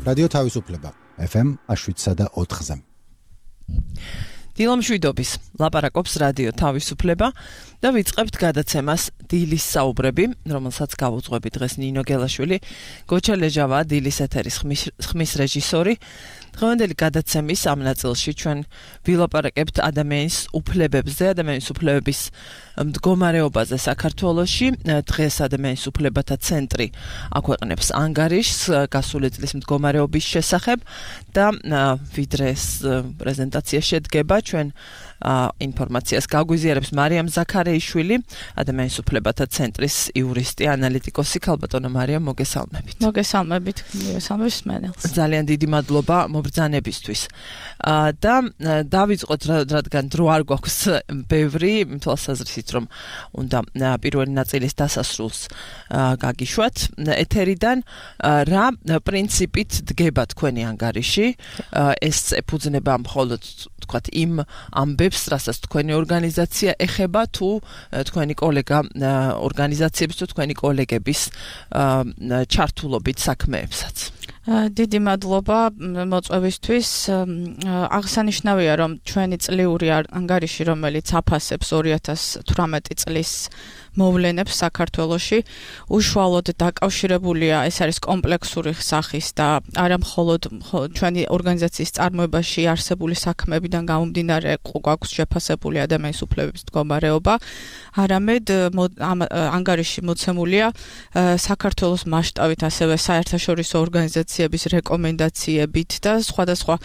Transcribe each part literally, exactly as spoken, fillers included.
რადიო თავისუფლება ეფ ემ შვიდსა და ოთხზე. დილა მშვიდობის, ლაპარაკობს რადიო თავისუფლება და ვიწყებთ გადაცემას დილის საუბრები, რომელსაც გავუძღვები დღეს ნინო გელაშვილი, გოჩა ლეჟავა, დილის ეთერის ხმის რეჟისორი. დღევანდელი გადაცემის ამ ნაწილში ჩვენ ვილაპარაკებთ ადამიანის უფლებებზე, ადამიანის უფლებების მდგომარეობაზე საქართველოში. დღეს ადამიანის უფლებათა ცენტრი აქვეყნებს ანგარიშს გასული წლის მდგომარეობის შესახებ და ვიდრე ეს პრეზენტაცია შედგება, ჩვენ ინფორმაციას გაგვიზიარებს მარიამ ზაქარეიშვილი, ადამიანის უფლებათა ცენტრის იურისტი, ანალიტიკოსი. ქალბატონო მარიამ, მოგესალმებით. მოგესალმებით, მოგესალმებით მენელს. ძალიან დიდი მადლობა მობრძანებისთვის. და დავიწყოთ, რადგან დრო არ გვაქვს ბევრი, თვალსაზრისით რომ უნდა პირველი ნაწილის დასასრულს გაგიშვათ ეთერიდან, რა პრინციპით დგება თქვენი ანგარიში? ეს ეფუძნება მხოლოდ თქვათ იმ ამბებს, რასაც თქვენი ორგანიზაცია ეხება, თუ თქვენი კოლეგა ორგანიზაციების თუ თქვენი კოლეგების ჩართულობით საქმეებსაც? დიდი მადლობა მოწვევისთვის. აღსანიშნავია, რომ ჩვენი წლიური ანგარიში, რომელიც აფასებს ორი ათას თვრამეტი წლის მოვლენებს საქართველოში, უშუალოდ დაკავშირებულია, ეს არის კომპლექსური სახის და არა მხოლოდ ჩვენი ორგანიზაციის წარმოებაში არსებული საქმეებიდან გამომდინარე გვაქვს შეფასებული ადამიანის უფლებების მდგომარეობა, არამედ ამ ანგარიში მოცემულია საქართველოს მასშტაბით, ასევე საერთაშორისო ორგანიზაციების რეკომენდაციებით და სხვადასხვა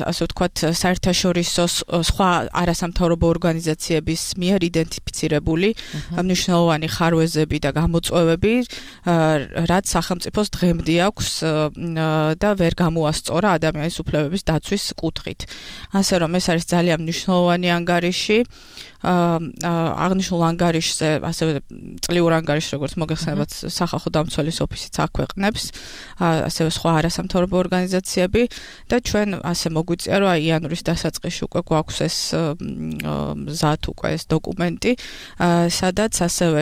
ასე ვთქვათ საერთაშორისო სხვა არასამთავრობო ორგანიზაციების მიერ იდენტიფიცირებული მნიშვნელოვანი ხარვეზები და გამოწვევები, რაც სახელმწიფოს დღემდე აქვს და ვერ გამოასწორა ადამიანის უფლებების დაცვის კუთხით. ასე რომ ეს არის ძალიან მნიშვნელოვანი ანგარიში. აღნიშნულ ანგარიშზე, ასევე წლიურ ანგარიშს, როგორც მოგეხსენებათ, სახალხო დამცველის ოფისიც აქვეყნებს, ასევე სხვა არასამთავრობო ორგანიზაციები და ჩვენ ასე მოგვიწია, რომ იანვრის დასაწყისში უკვე გვაქვს ეს მზად უკვე ეს დოკუმენტი, სადაც ასევე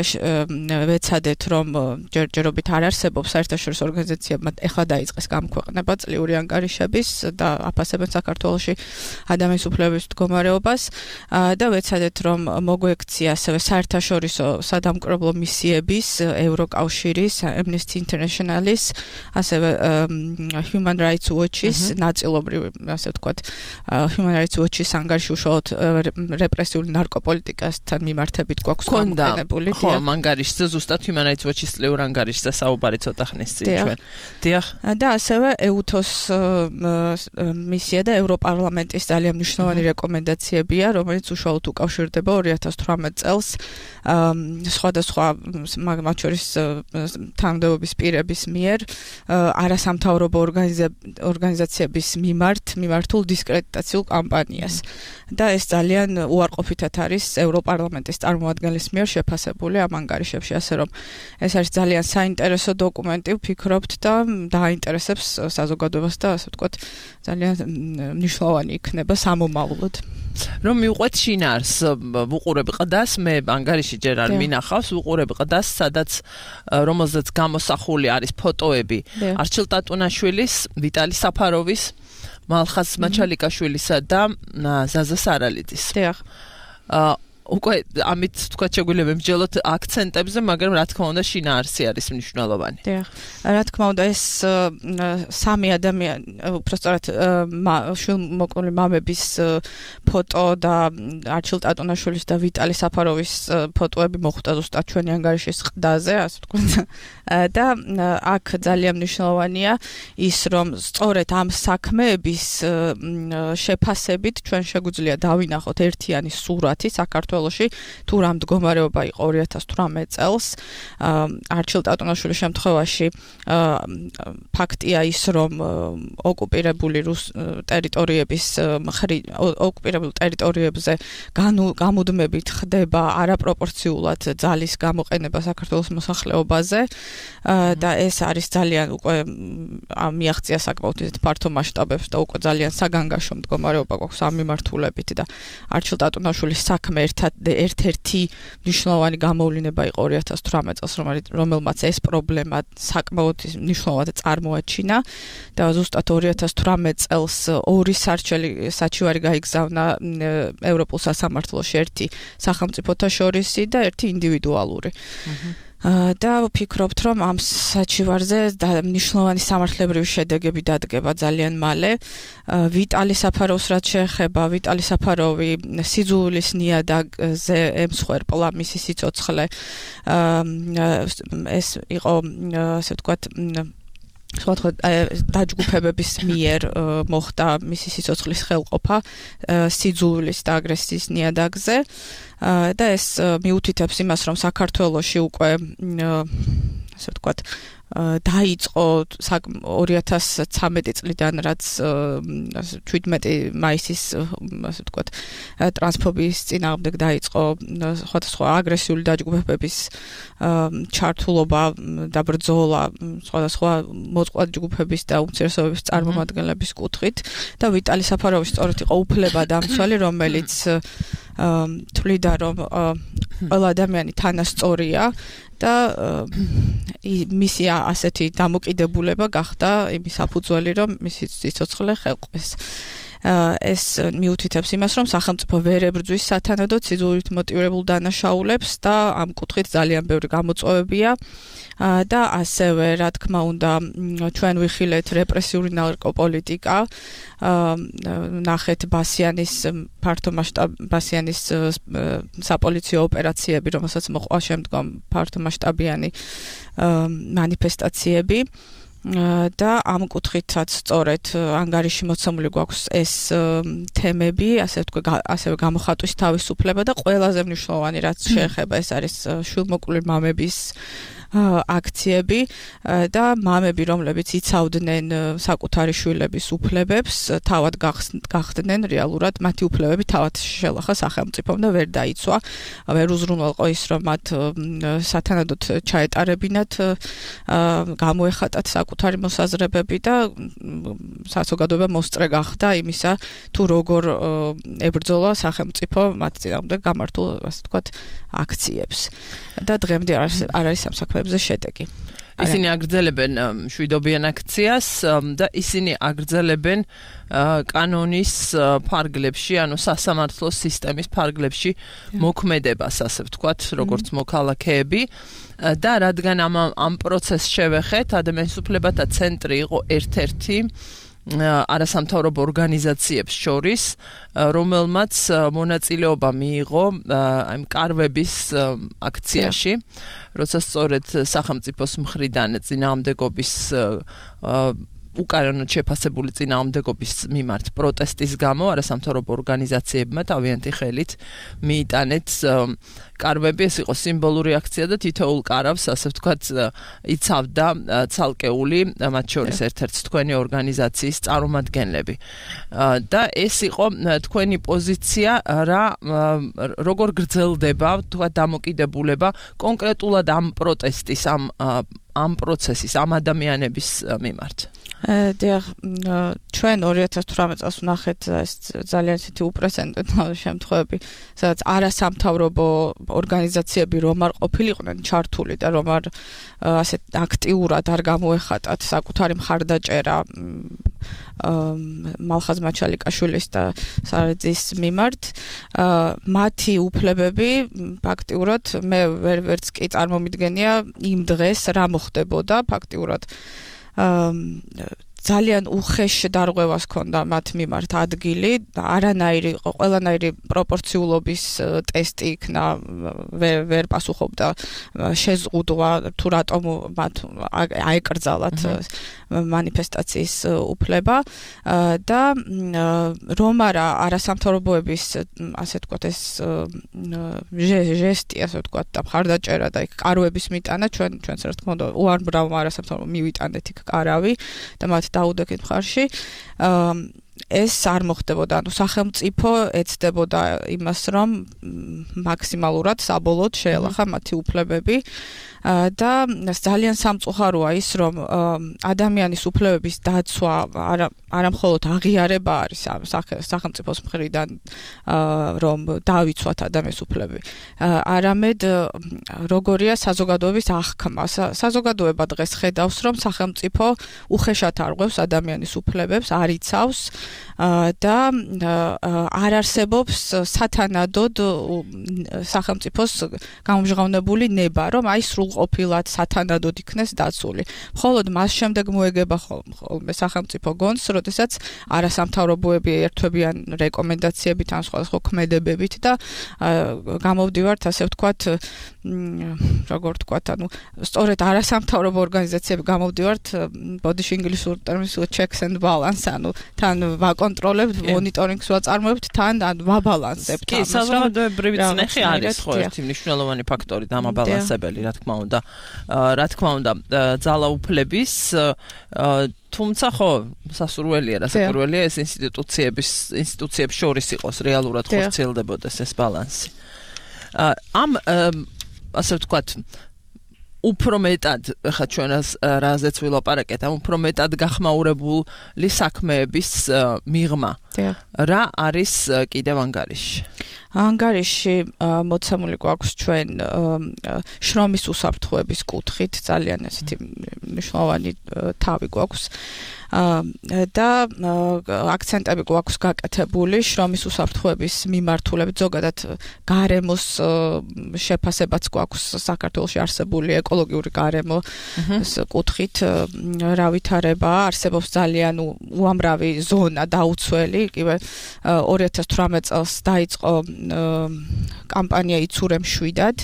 ვეცადეთ, რომ ჯერჯერობით არ არსებობს საერთაშორისო ორგანიზაციებმა ეხლა დაიწყეს გამოქვეყნება წლიური ანგარიშების და აფასებენ საქართველოში ადამიანის უფლებების მდგომარეობას და ვეცადეთ, რომ მოგვექცია ასევე საერთაშორისო სადამკვირვებლო მისიების, ევროკავშირის, Amnesty International-ის, ასევე Human Rights Watch-ის, ნაწილობრივ, ასე ვთქვათ, Human Rights Watch-ის ანგარიში უშუალოდ რეპრესიული ნარკოპოლიტიკასთან მიმართებით გვაქვს გამოყენებული. ხო, ანგარიშზე ზუსტად Human Rights Watch-ის წლიურ ანგარიშზე საუბარი ცოტა ხნის წინ ჩვენ. დიახ. და ასევე ეუთოს მისია და ევროპარლამენტის ძალიან მნიშვნელოვანი რეკომენდაციებია, რომელიც უშუალოდ უკავშირდება ორი ათას თვრამეტ წელს სხვადასხვა მათ შორის თანამდებობის პირების მიერ არასამთავრობო ორგანიზაციების მიმართ მიმართულ დისკრედიტაციულ კამპანიას. და ეს ძალიან უარყოფითად არის ევროპარლამენტის წარმომადგენლის მიერ შეფასებული ამ ანგარიშებში, ასე რომ ეს არის ძალიან საინტერესო დოკუმენტი, ვფიქრობთ და დააინტერესებს საზოგადოებას და ასე ვთქვათ, ძალიან მნიშვნელოვანი იქნება სამომავლოდ. რომ მივყვეთ შინაარს, ვუყურებ ყდას, მე ანგარიში ჯერ არ მინახავს, ვუყურებ ყდას, სადაც რომელზეც გამოსახული არის ფოტოები არჩილ ტატუნაშვილის, ვიტალი საფაროვის, მალხაზ მაჩალიკაშვილისა და ზაზა სარალიძის. დიახ. უკვე ამით თქვა შეგვიძლია ვემსჯელოთ აქცენტებზე, მაგრამ რა თქმა უნდა შინაარსი არის მნიშვნელოვანი. დიახ. რა თქმა უნდა ეს სამი ადამიანი, უბრალოდ შვილმოკლული მამების ფოტო და არჩილ ტატუნაშვილის და ვიტალი საფაროვის ფოტოები მოხვდა ზუსტად ჩვენი ანგარიშის ყდაზე, ასე ვთქვათ. და აქ ძალიან მნიშვნელოვანია ის, რომ სწორედ ამ საქმეების შეფასებით ჩვენ შეგვიძლია დავინახოთ ერთიანი სურათი საქართველოში, თუ რა მდგომარეობა იყო ორი ათას თვრამეტ წელს. არჩილ ტატუნაშვილის შემთხვევაში ფაქტია ის, რომ ოკუპირებული ტერიტორიების ოკუპირებულ ტერიტორიებზე გამუდმებით ხდება არაპროპორციულად ძალის გამოყენება საქართველოს მოსახლეობაზე და ეს არის ძალიან უკვე მიაღწია საკმაოდ ფართო მასშტაბებს და უკვე ძალიან საგანგაშო მდგომარეობა გვაქვს ამ მიმართულებით და არჩილ ტატუნაშვილის საქმე ერთ ერთად ერთ-ერთი მნიშვნელოვანი გამოვლინება იყო ორი ათას თვრამეტ წელს, რომელმაც ეს პრობლემა საკმაოდ მნიშვნელოვნად წარმოაჩინა და ზუსტად ორი ათას თვრამეტ წელს ორი სარჩელი საჩივარი გაიგზავნა ევროპულ სასამართლოში, ერთი სახელმწიფოთა შორისი და ერთი ინდივიდუალური. და ვფიქრობთ, რომ ამ საჩივარზე მნიშვნელოვანი სამართლებრივი შედეგები დადგება ძალიან მალე. ვიტალი საფაროვს რაც შეეხება, ვიტალი საფაროვი სიძულვილის ნიადაგზე ემსხვერპლა მისი სიცოცხლე. ეს იყო, ასე ვთქვათ, სხვადასხვა დაჯგუფებების მიერ მოხდა მისი სიცოცხლის ხელყოფა სიძულვილის და აგრესიის ნიადაგზე და ეს მიუთითებს იმას, რომ საქართველოში უკვე ასე ვთქვათ დაიწყო ორი ათას ცხრამეტი წლიდან, რაც შვიდმეტი მაისის ასე ვთქვათ ტრანსფობიის წინააღმდეგ დაიწყო სხვადასხვა აგრესიული დაჯგუფებების ჩართულობა და ბრძოლა სხვადასხვა მოწყვლადი ჯგუფების და უმცირესობების წარმომადგენლების კუთხით და ვიტალი საფაროვი სწორედ იყო უფლებადამცველი, რომელიც თვლიდა, რომ ყველა ადამიანი თანასწორია და მისი ასეთი დამოკიდებულება გახდა იმის საფუძველი, რომ მისი სიცოცხლე ხელყვეს. ეს მიუთითებს იმას, რომ სახელმწიფო ვერ ებრძვის სათანადოდ სიძულვილით მოტივირებულ დანაშაულებს და ამ კუთხით ძალიან ბევრი გამოწვევებია და ასევე, რა თქმა უნდა, ჩვენ ვიხილეთ რეპრესიული ნარკოპოლიტიკა, ნახეთ ბასიანის ფართო მასშტაბ ბასიანის საპოლიციო ოპერაციები, რომელსაც მოყვა შემდგომ ფართო მასშტაბიანი მანიფესტაციები. და ამ კუთხითაც სწორედ ანგარიში მოცემული გვაქვს ეს თემები, ასე ვთქვი, ასევე გამოხატვის თავისუფლება და ყველაზე მნიშვნელოვანი რაც შეეხება, ეს არის შვილმოკლული მამების აქციები და მამები, რომლებიც იცავდნენ საკუთარი შვილების უფლებებს, თავად გახდნენ რეალურად მათი უფლებები თავად შელახა სახელმწიფომ და ვერ დაიცვა, ვერ უზრუნველყო ის, რომ მათ სათანადოდ ჩაეტარებინათ, გამოეხატათ საკუთარი მოსაზრებები და საზოგადოება მოსწრე გახდა იმისა, თუ როგორ ებრძოლა სახელმწიფო მათ წინააღმდეგ გამართულ, ასე ვთქვათ, აქციებს. და დღემდე არ არის ამ საქმეებზე შედეგი. ისინი აგრძელებენ შვიდობიან აქციას და ისინი აგრძელებენ კანონის ფარგლებში, ანუ სასამართლოს სისტემის ფარგლებში მოქმედებას, ასე ვთქვათ, როგორც მოქალაქეები და რადგან ამ ამ პროცესს შევეხეთ, ადამიანის უფლებათა ცენტრი იყო ერთ-ერთი არასამთავრობო ორგანიზაციებს შორის, რომელმაც მონაწილეობა მიიღო აი მკარვების აქციაში, როცა სწორედ სახელმწიფოს მხრიდან წინააღმდეგობის უკანონოდ შეფასებული წინააღმდეგობის მიმართ პროტესტის გამო არასამთავრობო ორგანიზაციებმა თავიანთი ხელით მიიტანეთ კარვები, ეს იყო სიმბოლური აქცია და თითოეულ კარავს, ასე ვთქვათ, იცავდა ცალკეული, მათ შორის ერთ-ერთი თქვენი ორგანიზაციის წარმომადგენლები. და ეს იყო თქვენი პოზიცია, რა როგორ გრძელდება, თქვათ, დამოკიდებულება კონკრეტულად ამ პროტესტის, ამ ამ პროცესის, ამ ადამიანების მიმართ. დიახ, ჩვენ ორი ათას თვრამეტ წელს ვნახეთ ეს ძალიან ისეთი უპრეცედენტო შემთხვევები, სადაც არასამთავრობო ორგანიზაციები რომ არ ყოფილიყვნენ ჩართული და რომ არ ასე აქტიურად არ გამოეხატათ საკუთარი მხარდაჭერა მალხაზ მაჩალიკაშვილის და სარაძის მიმართ, მათი უფლებები ფაქტიურად მე ვერც კი წარმომიდგენია იმ დღეს რა მოხდებოდა ფაქტიურად ძალიან უხეშ დარღვევას ჰქონდა მათ მიმართ ადგილი, არანაირი ყველანაირი პროპორციულობის ტესტი იქნა, ვერ ვერ პასუხობდა შეზღუდვა თუ რატომ მათ აეკრძალათ მანიფესტაციის უფლება და რომ არა არასამთავრობოების ასე ვთქვათ ეს ჟესტი ასე ვთქვათ და მხარდაჭერა და იქ კარვების მიტანა ჩვენ ჩვენს რა თქმა უნდა უამრავ არასამთავრობო მივიტანეთ იქ კარავი და მათ დაუდექით მხარში ეს არ მოხდებოდა, ანუ სახელმწიფო ეცდებოდა იმას, რომ მაქსიმალურად საბოლოოდ შეელახა მათი უფლებები და ძალიან სამწუხაროა ის, რომ ადამიანის უფლებების დაცვა არა არა მხოლოდ აღიარება არის სახელმწიფოს მხრიდან, რომ დავიცვათ ადამიანის უფლებები, არამედ როგორია საზოგადოების აღქმა. საზოგადოება დღეს ხედავს, რომ სახელმწიფო უხეშად არღვევს ადამიანის უფლებებს, არ იცავს და არ არსებობს სათანადოდ სახელმწიფოს გამომჟღავნებული ნება, რომ აი სრულყოფილად სათანადოდ იქნეს დაცული. მხოლოდ მას შემდეგ მოეგება ხოლმე სახელმწიფო გონს, როდესაც არასამთავრობოები ერთვებიან რეკომენდაციებით ან სხვადასხვა ქმედებებით და გამოვდივართ, ასე ვთქვათ, როგორ ვთქვათ, ანუ სწორედ არასამთავრობო ორგანიზაციები გამოვდივართ, ბოდიში ინგლისურ ტერმინს checks and balance, ანუ თან ვაკონტროლებთ, მონიტორინგს ვაწარმოებთ, თან ვაბალანსებთ. კი, საზოგადოებრივი წნეხი არის ხო ერთი მნიშვნელოვანი ფაქტორი დამაბალანსებელი, რა თქმა უნდა. რა თქმა უნდა, ძალაუფლების თუმცა ხო სასურველია, რასაკვირველია ეს ინსტიტუციების ინსტიტუციებს შორის იყოს რეალურად ხორციელდებოდეს ეს ბალანსი. ამ ასე ვთქვათ უფრო მეტად, ხა ჩვენ რაზეც ვილაპარაკეთ, ამ უფრო მეტად გახმაურებული საქმეების მიღმა. რა არის კიდევ ანგარიში? ანგარიში მოცემული გვაქვს ჩვენ შრომის უსაფრთხოების კუთხით, ძალიან ესეთი მნიშვნელოვანი თავი გვაქვს. და აქცენტები გვაქვს გაკეთებული შრომის უსაფრთხოების მიმართულებით, ზოგადად გარემოს შეფასებაც გვაქვს საქართველოში არსებული ეკოლოგიური გარემო კუთხით, რა ვითარება, არსებობს ძალიან უამრავი ზონა დაუცველი, იგივე ორი ათას თვრამეტ წელს დაიწყო კამპანია იცურე მშვიდად,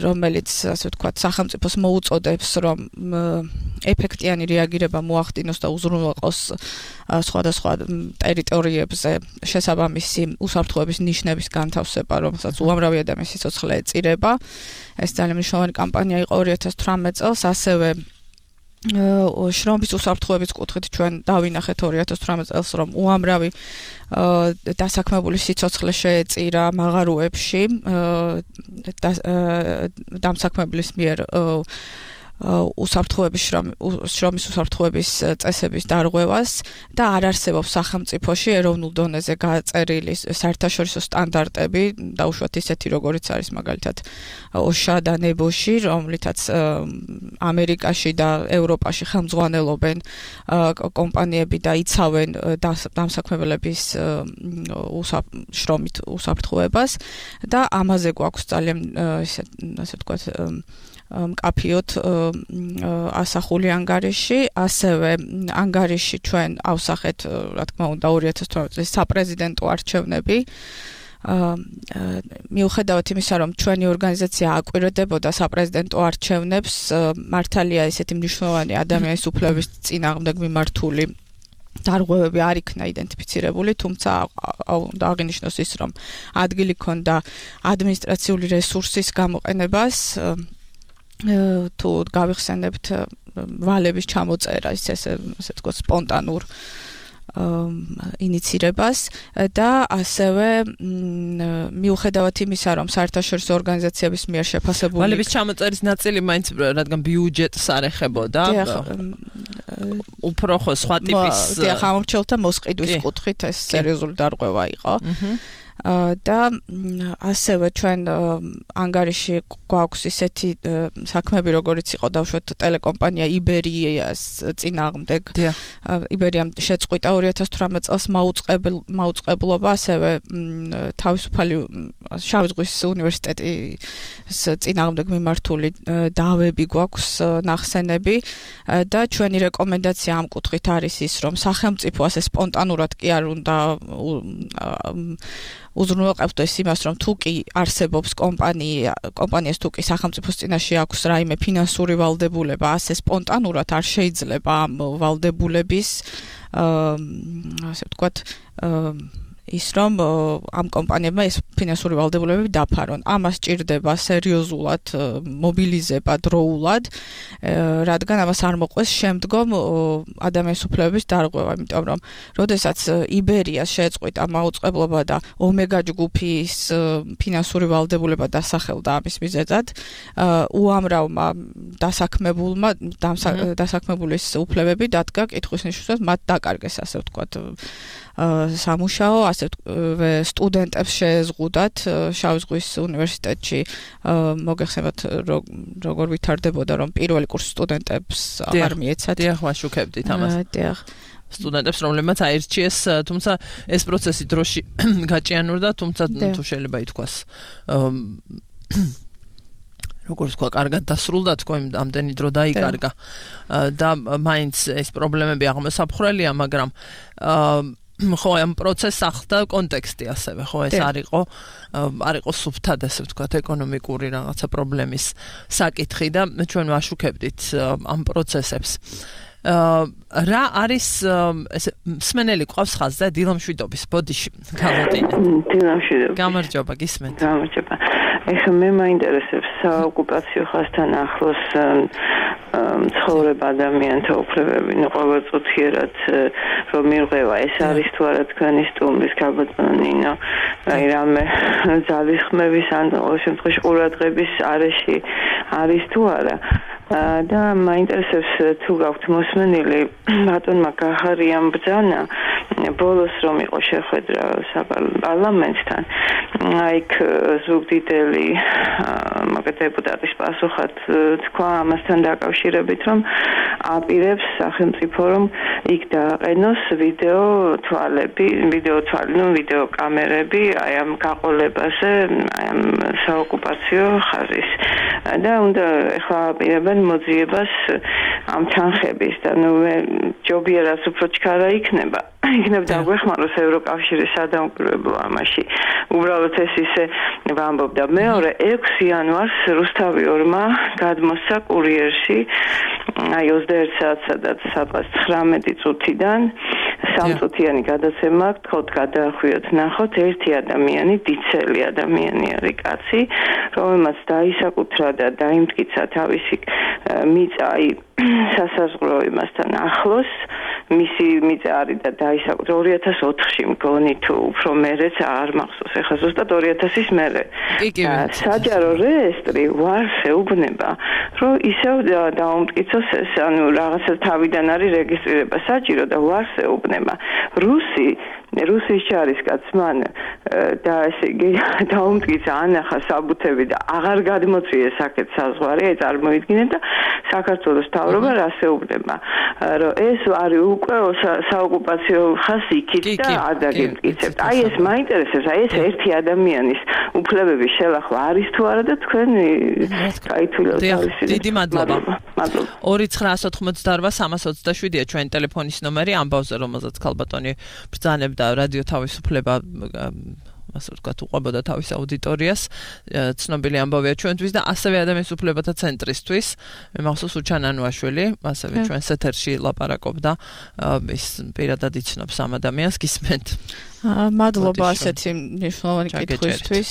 რომელიც ასე ვთქვათ სახელმწიფოს მოუწოდებს, რომ ეფექტიანი რეაგირება მოახდინოს და უზრუნველყოს სხვადასხვა ტერიტორიებზე შესაბამისი უსაფრთხოების ნიშნების განთავსება, რომელსაც უამრავი ადამიანის სიცოცხლე ეწირება. ეს ძალიან მნიშვნელოვანი კამპანია იყო ორი ათას თვრამეტ წელს, ასევე შრომის უსაფრთხოების კუთხით ჩვენ დავინახეთ ორი ათას თვრამეტ წელს, რომ უამრავი დასაქმებული სიცოცხლე შეეწირა მაღაროებში დამსაქმებლის მიერ უსაფრთხოების შრომის უსაფრთხოების წესების დარღვევას და არ არსებობს სახელმწიფოში ეროვნულ დონეზე გაწერილი საერთაშორისო სტანდარტები, დაუშვათ ისეთი, როგორიც არის მაგალითად ოსჰა და ნებოში, რომლითაც ამერიკაში და ევროპაში ხელმძღვანელობენ კომპანიები და იცავენ დამსაქმებლების შრომით უსაფრთხოებას და ამაზე გვაქვს ძალიან ასე ვთქვათ მკაფიოდ ასახული ანგარიში, ასევე ანგარიში ჩვენ ავსახეთ, რა თქმა უნდა, ორი ათას თვრამეტ წლის საპრეზიდენტო არჩევნები. მიუხედავად იმისა, რომ ჩვენი ორგანიზაცია აკვირდებოდა საპრეზიდენტო არჩევნებს, მართალია ესეთი მნიშვნელოვანი ადამიანის უფლების წინააღმდეგ მიმართული დარღვევები არ იქნა იდენტიფიცირებული, თუმცა უნდა აღინიშნოს ის, რომ ადგილი ჰქონდა ადმინისტრაციული რესურსის გამოყენებას, თუ გავიხსენებთ ვალების ჩამოწერა, ის ესე ასე ვთქვათ სპონტანურ ინიცირებას და ასევე მიუხედავად იმისა, რომ საერთაშორისო ორგანიზაციების მიერ შეფასებული ვალების ჩამოწერის ნაწილი მაინც რადგან ბიუჯეტს არ ეხებოდა, უფრო ხო სხვა ტიპის ხამომრჩევლთა მოსყიდვის კუთხით ეს სერიოზული დარღვევა იყო. და ასევე ჩვენ ანგარიში გვაქვს ისეთი საქმეები, როგორიც იყო დავუშვათ ტელეკომპანია იბერიას წინააღმდეგ. იბერიამ შეწყვიტა ორი ათას თვრამეტ წელს მაუწყებლობა, ასევე თავისუფალი შავი ზღვის უნივერსიტეტის წინააღმდეგ მიმართული დავები გვაქვს ნახსენები და ჩვენი რეკომენდაცია ამ კუთხით არის ის, რომ სახელმწიფო ასე სპონტანურად კი არ უნდა უზრუნველყოფდეს იმას, რომ თუ კი არსებობს კომპანია, კომპანიას თუ კი სახელმწიფოს წინაშე აქვს რაიმე ფინანსური ვალდებულება, ასე სპონტანურად არ შეიძლება ამ ვალდებულების, ასე ვთქვათ, ის რომ ამ კომპანიებმა ეს ფინანსური ვალდებულებები დაფარონ. ამას ჭირდება სერიოზულად მობილიზება დროულად, რადგან ამას არ მოყვეს შემდგომ ადამიანის უფლებების დარღვევა, იმიტომ რომ როდესაც იბერიას შეეწყვიტა მაუწყებლობა და ომეგა ჯგუფის ფინანსური ვალდებულება დასახელდა ამის მიზეზად, უამრავმა დასაქმებულმა დასაქმებულის უფლებები დადგა კითხვის ნიშნულად, მათ დაკარგეს ასე ვთქვათ სამუშაო, ასე სტუდენტებს შეეზღუდათ შავი ზღვის უნივერსიტეტში მოგეხსენებათ როგორ ვითარდებოდა რომ პირველი კურსის სტუდენტებს არ მიეცათ. დიახ, ვაშუქებდით ამას. დიახ. სტუდენტებს, რომლებმაც აირჩიეს, თუმცა ეს პროცესი დროში გაჭიანურდა, თუმცა თუ შეიძლება ითქვას როგორც თქვა, კარგად დასრულდა, თქვა, ამდენი დრო დაიკარგა და მაინც ეს პრობლემები აღმოსაფხრელია, მაგრამ ხო, ამ პროცესს ახლდა კონტექსტი ასევე, ხო, ეს არ იყო არ იყო სუფთად, ასე ვთქვათ, ეკონომიკური რაღაცა პრობლემის საკითხი და ჩვენ ვაშუქებდით ამ პროცესებს. რა არის ესე მსმენელი ყავს ხაზზე დილამშვიდობის ბოდიში გალოტინე. დილამშვიდობის. გამარჯობა, გისმენთ. გამარჯობა. ეხლა მე მაინტერესებს საოკუპაციო ხაზთან ახლოს ცხოვრება ადამიანთა უფლებები, ნუ ყოველწუთიერად რომ მირღვევა, ეს არის თუ არა თქვენი სტუმრის გაბატონო ნინო, აი რამე ძალისხმევის ან ყოველ შემთხვევაში ყურადღების არეში არის თუ არა. და მაინტერესებს თუ გაქვთ მოსმენილი ბატონმა გახარიამ ბრძანა ბოლოს რომ იყო შეხვედრა საპარლამენტთან, აიქ ზუგდიდელი მაგ დეპუტატის პასუხად თქვა ამასთან დაკავშირებით, რომ აპირებს სახელმწიფო რომ იქ დააყენოს ვიდეო თვალები, ვიდეო თვალი, ნუ ვიდეო კამერები აი ამ გაყოლებაზე, აი ამ საოკუპაციო ხაზის და უნდა ეხლა აპირებენ მოძიებას ამ თანხების და ნუ ჯობია რაც უფრო ჩქარა იქნება. იქნებ დაგვეხმაროს ევროკავშირის სადამკვირვებლო ამაში. უბრალოდ ეს ისე ვამბობდა. მეორე ექვსი იანვარს რუსთავიორმა გადმოსცა კურიერში აი ოცდაერთ საათსა და სადღაც ცხრამეტი წუთიდან სამწუთიანი გადაცემა გთხოვთ გადაახვიოთ ნახოთ ერთი ადამიანი, დიცელი ადამიანი არის კაცი, რომელმაც დაისაკუთრა და დაიმტკიცა თავისი მიწა აი სასაზღვრო იმასთან ახლოს, მისი მიწა არის და დაისაკუთრა ორი ათას ოთხში მგონი თუ უფრო მერეც არ მახსოვს, ეხლა ზუსტად ორი ათასის მერე. საჯარო რეესტრი ვარს ეუბნება, რომ ისევ დაუმტკიცოს ეს, ანუ რაღაცა თავიდან არის რეგისტრირება საჭირო და ვარს ეუბნება. რუსი რუსის ჯარისკაც მან და ესე იგი დაუმტკიცა ანახა საბუთები და აღარ გადმოწიეს აქეთ საზღვარი, აი წარმოიდგინეთ და საქართველოს მთავრობა რას ეუბნება, რომ ეს არის უკვე საოკუპაციო ხაზი იქით და არ დაგემტკიცებთ. აი ეს მაინტერესებს, აი ეს ერთი ადამიანის უფლებების შელახვა არის თუ არა და თქვენ გაითვლით. დიდი მადლობა. ორი ცხრაას ოთხმოცდაორვა სამას ოცდაშვიდია ჩვენი ტელეფონის ნომერი, ამბავზე რომელზეც ქალბატონი ბრძანებდა რადიო თავისუფლება ასე ვთქვათ უყვებოდა თავის აუდიტორიას, ცნობილი ამბავია ჩვენთვის და ასევე ადამიანის უფლებათა ცენტრისთვის. მე მახსოვს უჩან ანუაშვილი, ასევე ჩვენს ეთერში ლაპარაკობდა, ის პირადად იცნობს ამ ადამიანს, გისმენთ. მადლობა ასეთი მნიშვნელოვანი კითხვისთვის.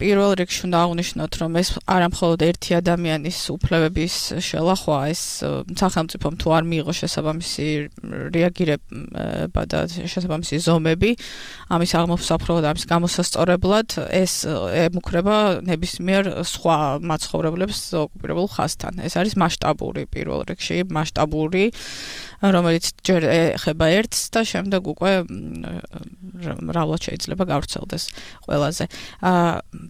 პირველ რიგში უნდა აღვნიშნოთ, რომ ეს არა მხოლოდ ერთი ადამიანის უფლებების შელახვაა, ეს სახელმწიფომ თუ არ მიიღო შესაბამისი რეაგირება და შესაბამისი ზომები ამის აღმოსაფრთხებლად, ამის გამოსასწორებლად, ეს ემუქრება ნებისმიერ სხვა მაცხოვრებლებს ოკუპირებულ ხაზთან. ეს არის მასშტაბური პირველ რიგში, მასშტაბური, რომელიც ჯერ ეხება ერთს და შემდეგ უკვე მრავლად შეიძლება გავრცელდეს ყველაზე.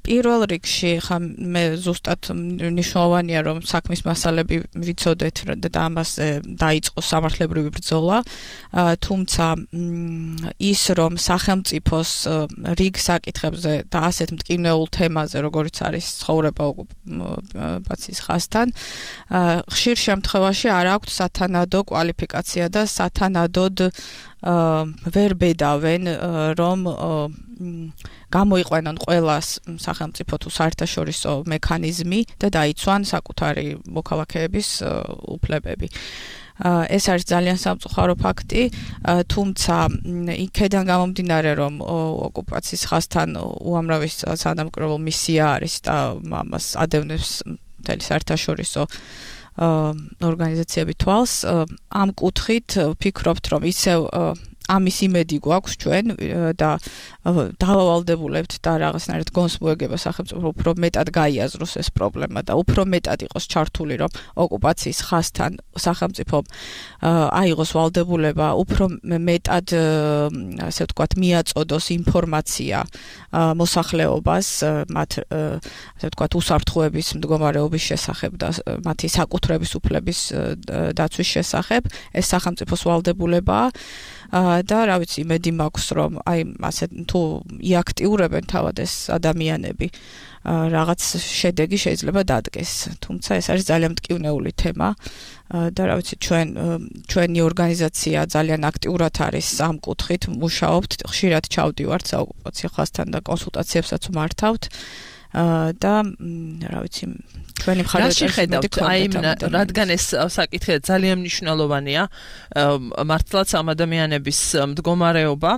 პირველ რიგში ხა მე ზუსტად მნიშვნელოვანია რომ საქმის მასალები ვიცოდეთ და ამას დაიწყო სამართლებრივი ბრძოლა, თუმცა ის რომ სახელმწიფოს რიგ საკითხებზე და ასეთ მტკივნეულ თემაზე როგორიც არის ცხოვრება ოკუპაციის ხაზთან, ხშირ შემთხვევაში არ აქვთ სათანადო კვალიფიკაცია და სათანადოდ ვერ ბედავენ რომ გამოიყვანონ ყველა სახელმწიფო თუ საერთაშორისო მექანიზმი და დაიცვან საკუთარი მოქალაქეების უფლებები. ეს არის ძალიან სამწუხარო ფაქტი, თუმცა იქედან გამომდინარე, რომ ოკუპაციის ხაზთან უამრავი სანაპირო მისია არის და ამას ადევნებს მთელი საერთაშორისო ორგანიზაციები თვალს, ამ კუთხით ვფიქრობთ, რომ ისევ ამის იმედი გვაქვს ჩვენ და დავავალდებულებთ და რაღაცნაირად გონს მოეგება სახელმწიფო უფრო მეტად გაიაზროს ეს პრობლემა და უფრო მეტად იყოს ჩართული, რომ ოკუპაციის ხაზთან სახელმწიფომ აიღოს ვალდებულება უფრო მეტად ასე ვთქვათ მიაწოდოს ინფორმაცია მოსახლეობას მათ ასე ვთქვათ უსაფრთხოების მდგომარეობის შესახებ და მათი საკუთრების უფლების დაცვის შესახებ. ეს სახელმწიფოს ვალდებულებაა და რა ვიცი, იმედი მაქვს, რომ აი ასე თუ იაქტიურებენ თავად ეს ადამიანები, რაღაც შედეგი შეიძლება დადგეს. თუმცა ეს არის ძალიან მტკივნეული თემა და რა ვიცი, ჩვენ ჩვენი ორგანიზაცია ძალიან აქტიურად არის ამ კუთხით მუშაობთ, ხშირად ჩავდივართ საოკუპაციო ხაზთან და კონსულტაციებსაც ვმართავთ. და რა ვიცი, ჩვენი მხარდაჭერით აი რადგან ეს საკითხი ძალიან მნიშვნელოვანია, მართლაც ამ ადამიანების მდგომარეობა,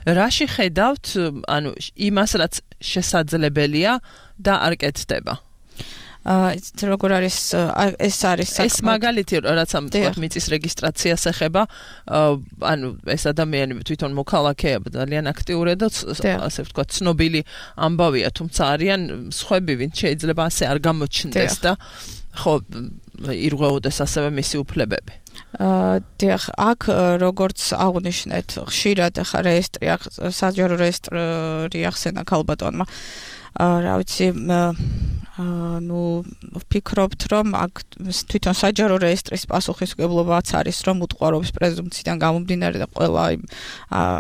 რაში ხედავთ, ანუ იმას, რაც შესაძლებელია და არ კეთდება? ეს როგორ არის ეს არის ეს მაგალითი რაც ამ თქვა მიწის რეგისტრაციას ეხება, ანუ ეს ადამიანები თვითონ მოქალაქეა ძალიან აქტიურია და ასე ვთქვა ცნობილი ამბავია, თუმცა არიან სხვები, ვინც შეიძლება ასე არ გამოჩნდეს და ხო ირღვეოდეს ასევე მისი უფლებები. დიახ, აქ როგორც აღნიშნეთ, ხშირად ახლა რეესტრი საჯარო რეესტრი ახსენა ქალბატონმა, რა ვიცი, ну, ვფიქრობთ, რომ აქ თვითონ საჯარო რეესტრის პასუხისმგებლობაც არის, რომ უტყუარობის პრეზუმპციიდან გამომდინარე და ყველა იმ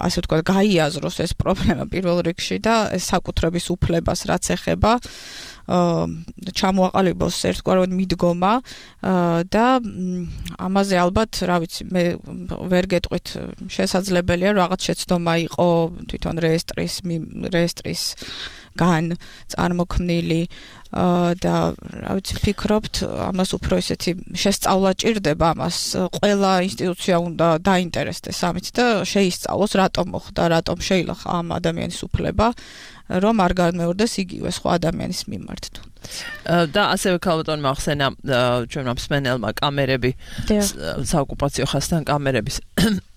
ასე ვთქვათ გაიაზროს ეს პრობლემა პირველ რიგში და საკუთრების უფლებას რაც ეხება, ჩამოაყალიბოს ერთგვარად მიდგომა და ამაზე ალბათ, რა ვიცი, მე ვერ გეტყვით, შესაძლებელია რაღაც შეცდომა იყო თვითონ რეესტრის რეესტრის გან წარმოქმნილი და რა ვიცი, ვფიქრობთ, ამას უფრო ისეთი შესწავლა ჭირდება, ამას ყველა ინსტიტუცია უნდა დაინტერესდეს ამით და შეისწავლოს, რატომ მოხდა, რატომ შეიძლება ამ ადამიანის უფლება, რომ არ განმეორდეს იგივე სხვა ადამიანის მიმართ. და ასევე ქალბატონმა ახსენა ჩვენმა მსმენელმა კამერები, საოკუპაციო ხაზთან კამერების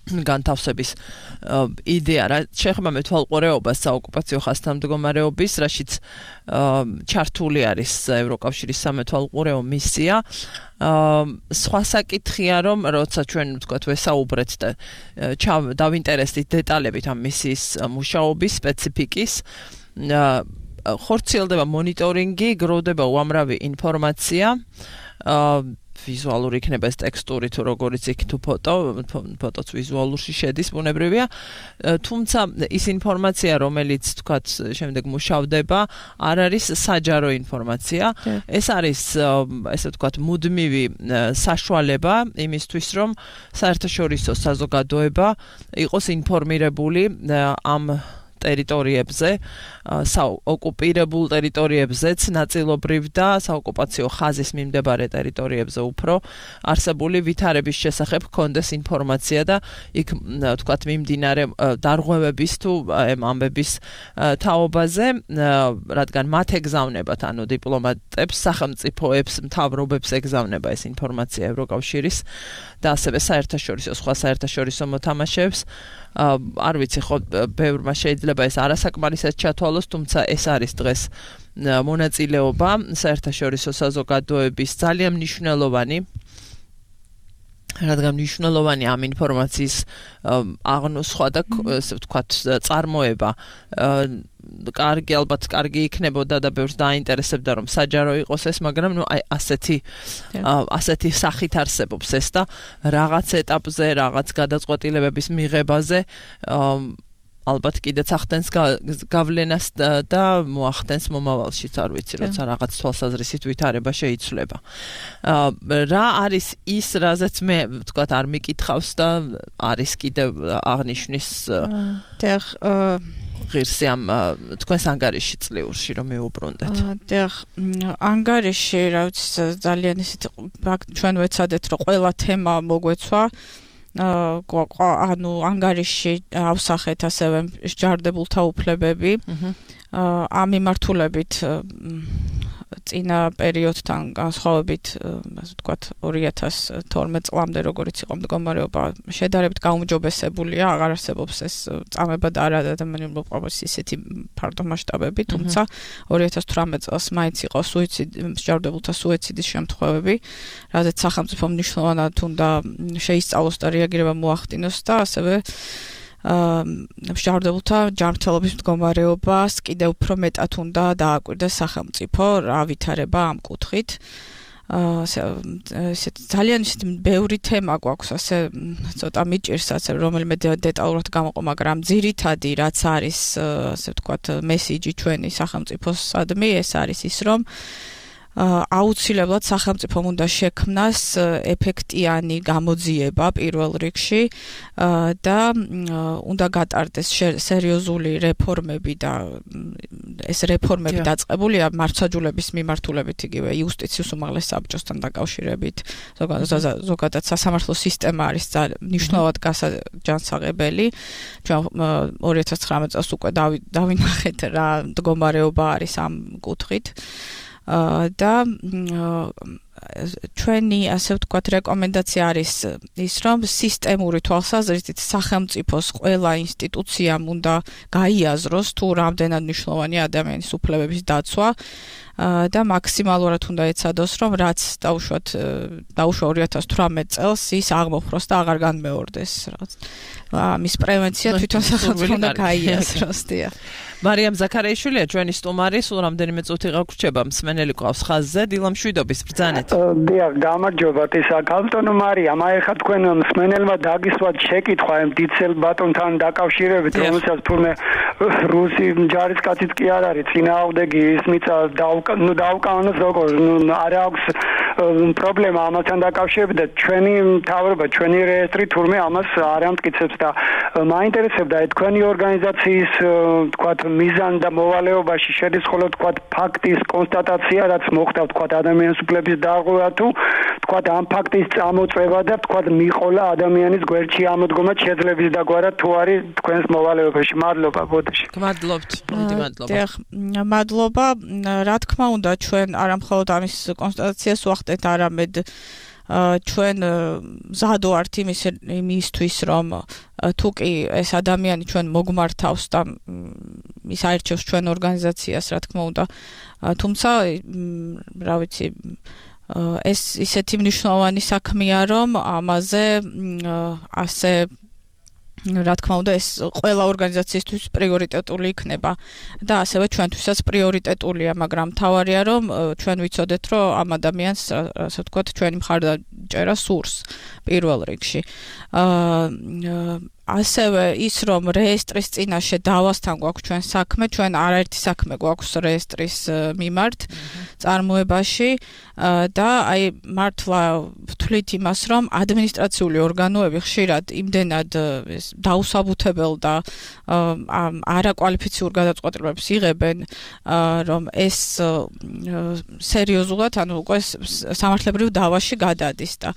განთავსების იდეა, რა შეეხება მეთვალყურეობას საოკუპაციო ხაზთან მდგომარეობის, რაშიც ჩართული არის ევროკავშირის სამეთვალყურეო მისია. სხვა საკითხია, რომ როცა ჩვენ ვთქვათ ვესაუბრეთ და დავინტერესდით დეტალებით ამ მისიის მუშაობის სპეციფიკის, ხორციელდება მონიტორინგი, გროვდება უამრავი ინფორმაცია, ვიზუალური იქნება ეს ტექსტური თუ როგორიც იქ თუ ფოტო, ფოტოც ვიზუალურში შედის, ბუნებრივია, თუმცა ის ინფორმაცია, რომელიც თქვათ შემდეგ მუშავდება, არ არის საჯარო ინფორმაცია, ეს არის ესე ვთქვათ მუდმივი საშუალება იმისთვის, რომ საერთაშორისო საზოგადოება იყოს ინფორმირებული ამ ტერიტორიებზე, საოკუპირებულ ტერიტორიებზეც ნაწილობრივ და საოკუპაციო ხაზის მიმდებარე ტერიტორიებზე უფრო არსებული ვითარების შესახებ ჰქონდეს ინფორმაცია და იქ თქვათ მიმდინარე დარღვევების თუ ამბების თაობაზე, რადგან მათ ეგზავნებათ, ანუ დიპლომატებს, სახელმწიფოებს, მთავრობებს ეგზავნება ეს ინფორმაცია ევროკავშირის და ასევე საერთაშორისო სხვა საერთაშორისო მოთამაშეებს. არ ვიცი, ხო ბევრმა შეიძლება ეს არასაკმარისად ჩათვალოს, თუმცა ეს არის დღეს მონაწილეობა საერთაშორისო საზოგადოების ძალიან მნიშვნელოვანი, რადგან მნიშვნელოვანი ამ ინფორმაციის აღნოსხვა და ესე ვთქვათ წარმოება. კარგი, ალბათ კარგი იქნებოდა და ბევრს დაინტერესებდა, რომ საჯარო იყოს ეს, მაგრამ ნუ აი ასეთი ასეთი სახით არსებობს ეს და რაღაც ეტაპზე, რაღაც გადაწყვეტილებების მიღებაზე ალბათ კიდეც ახდენს გავლენას და მოახდენს მომავალშიც, არ ვიცი, როცა რაღაც თვალსაზრისით ვითარება შეიცვლება. რა არის ის, რაზეც მე ვთქვათ არ მიკითხავს და არის კიდევ აღნიშნის დიახ, ღირსი ამ თქვენს ანგარიში წლიურში რომ მიუბრუნდეთ? დიახ, ანგარიში, რა ვიცი, ძალიან ისეთ ჩვენ ვეცადეთ რომ ყველა თემა მოგვეცვა. ანუ ანგარიში ავსახეთ ასევე მსჯავრდებულთა უფლებები. ამ მიმართულებით წინა პერიოდთან განსხვავებით, ასე ვთქვათ, ორი ათას თორმეტ წლამდე როგორიც იყო მდგომარეობა, შედარებით გაუმჯობესებულია, აღარ არსებობს ეს წამება და არა ადამიანური მოპყრობის ისეთი ფართო მასშტაბები, თუმცა ორი ათას თვრამეტ წელს მაინც იყო სუიციდი, მსჯავრდებულთა სუიციდის შემთხვევები, რადგან სახელმწიფომ მნიშვნელოვნად უნდა შეისწავლოს და რეაგირება მოახდინოს და ასევე მსჯავრდებულთა ჯანმრთელობის მდგომარეობას კიდევ უფრო მეტად უნდა დააკვირდეს სახელმწიფო რა ვითარება ამ კუთხით. ძალიან ისეთი ბევრი თემა გვაქვს, ასე ცოტა მიჭირს, ასე რომელიმე დეტალურად გამოყო, მაგრამ ძირითადი რაც არის, ასე ვთქვათ, მესიჯი ჩვენი სახელმწიფოსადმი, ეს არის ის, რომ აუცილებლად სახელმწიფომ უნდა შექმნას ეფექტიანი გამოძიება პირველ რიგში და უნდა გატარდეს სერიოზული რეფორმები და ეს რეფორმები დაწყებულია მართლმსაჯულების მიმართულებით, იგივე იუსტიციის უმაღლეს საბჭოსთან დაკავშირებით, ზოგადად სასამართლო სისტემა არის მნიშვნელოვნად გასაჯანსაღებელი. ჩვენ ორი ათას ცხრამეტ წელს უკვე დავინახეთ რა მდგომარეობა არის ამ კუთხით. და ჩვენი, ასე ვთქვათ, რეკომენდაცია არის ის, რომ სისტემური თვალსაზრისით სახელმწიფოს ყველა ინსტიტუციამ უნდა გაიაზროს თუ რამდენად მნიშვნელოვანია ადამიანის უფლებების დაცვა და მაქსიმალურად უნდა ეცადოს, რომ რაც დაუშვათ დაუშვა ორი ათას თვრამეტ წელს ის აღმოფხვროს და აღარ განმეორდეს. ამის პრევენცია თვითონ სახელმწიფომ უნდა გაიაზროს. მარიამ ზაქარიაშვილია ჩვენი სტუმარი, სულ რამდენიმე წუთი გაგვრჩება, მსმენელი ყავს ხაზზე, დილა მშვიდობის, ბრძანეთ. დიახ, გამარჯობათ, ისა კანტონო მარიამ, აი ხა თქვენ მსმენელმა დაგისვათ შეკითხვა ამ დიცელ ბატონთან დაკავშირებით, რომელსაც თურმე რუსი ჯარისკაციც კი არ არის, წინააღმდეგი ის მიწა ნუ დაუკანონოს როგორ, ნუ არ აქვს პრობლემა ამასთან დაკავშირებით და ჩვენი მთავრობა, ჩვენი რეესტრი თურმე ამას არ ამტკიცებს და მაინტერესებდა თქვენი ორგანიზაციის თქვათ მიზან და მოვალეობაში შედის ხოლმე თქვათ ფაქტის კონსტატაცია, რაც მოხდა თქვათ ადამიანის უფლების დარღვევა თუ თქვათ ამ ფაქტის წამოწევა და თქვათ მიყოლა ადამიანის გვერდში ამოდგომა შეძლების დაგვარა თუ არის თქვენს მოვალეობაში. მადლობა, ბოდიში. გმადლობთ, დიდი მადლობა. დიახ, მადლობა. რა თქმა უნდა, ჩვენ არა მხოლოდ ამის კონსტატაციას ვახდენთ, არამედ ჩვენ მზადო ვართ იმისთვის, რომ თუ კი ეს ადამიანი ჩვენ მოგმართავს და ის აირჩევს ჩვენ ორგანიზაციას, რა თქმა უნდა, თუმცა რა ვიცი, ეს ისეთი მნიშვნელოვანი საქმეა, რომ ამაზე ასე რა თქმა უნდა ეს ყველა ორგანიზაციისთვის პრიორიტეტული იქნება და ასევე ჩვენთვისაც პრიორიტეტულია, მაგრამ მთავარია რომ ჩვენ ვიცოდეთ, რომ ამ ადამიანს, ასე ვთქვათ, ჩვენი მხარდაჭერა სურს პირველ რიგში. ასევე ის, რომ რეესტრის წინაშე დავასთან გვაქვს ჩვენ საქმე, ჩვენ არაერთი საქმე გვაქვს რეესტრის მიმართ წარმოებაში და აი მართლა ვთვლით იმას, რომ ადმინისტრაციული ორგანოები ხშირად იმდენად დაუსაბუთებელ და არაკვალიფიციურ გადაწყვეტილებებს იღებენ, რომ ეს სერიოზულად, ანუ უკვე სამართლებრივ დავაში გადადის და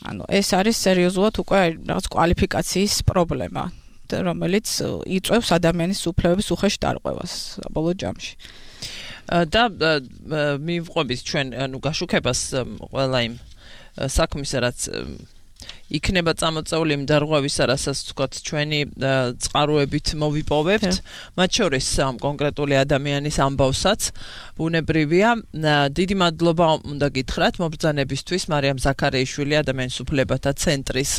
ანუ ეს არის სერიოზულად უკვე რაღაც კვალიფიკაციის პრობლემა, რომელიც იწვევს ადამიანის უფლებების უხეშ დარღვევას საბოლოო ჯამში. და მივყვებით ჩვენ ანუ გაშუქებას ყველა იმ საქმისა, რაც იქნება წამოწეული იმ დარღვევისა, რასაც თქვათ ჩვენი წყაროებით მოვიპოვებთ, მათ შორის ამ კონკრეტული ადამიანის ამბავსაც ბუნებრივია. დიდი მადლობა უნდა გითხრათ მობრძანებისთვის. მარიამ ზაქარიაშვილი, ადამიანის უფლებათა ცენტრის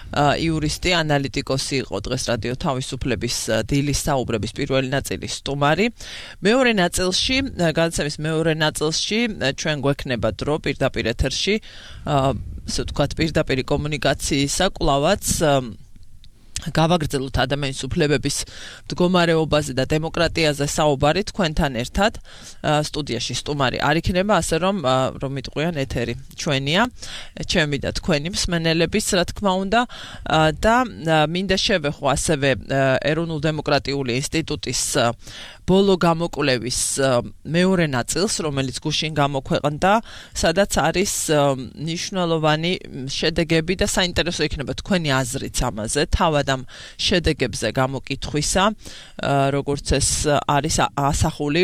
იურისტი, ანალიტიკოსი იყო დღეს რადიო თავისუფლების დილის საუბრების პირველი ნაწილის სტუმარი. მეორე ნაწილში, გადაცემის მეორე ნაწილში ჩვენ გვექნება დრო პირდაპირ ეთერში, ასე ვთქვათ, პირდაპირი კომუნიკაციისა კვლავაც გავაგრძელოთ ადამიანის უფლებების მდგომარეობაზე და დემოკრატიაზე საუბარი თქვენთან ერთად. სტუდიაში სტუმარი არ იქნება, ასე რომ რომ მიტყვიან ეთერი ჩვენია, ჩემი და თქვენი მსმენელების, რა თქმა უნდა, და მინდა შევეხო ასევე ეროვნულ დემოკრატიული ინსტიტუტის ბოლო გამოკვლევის მეორე ნაწილს, რომელიც გუშინ გამოქვეყნდა, სადაც არის მნიშვნელოვანი შედეგები და საინტერესო იქნება თქვენი აზრიც ამაზე, თავად ამ შედეგებზე გამოკითხვისა, როგორც ეს არის ასახული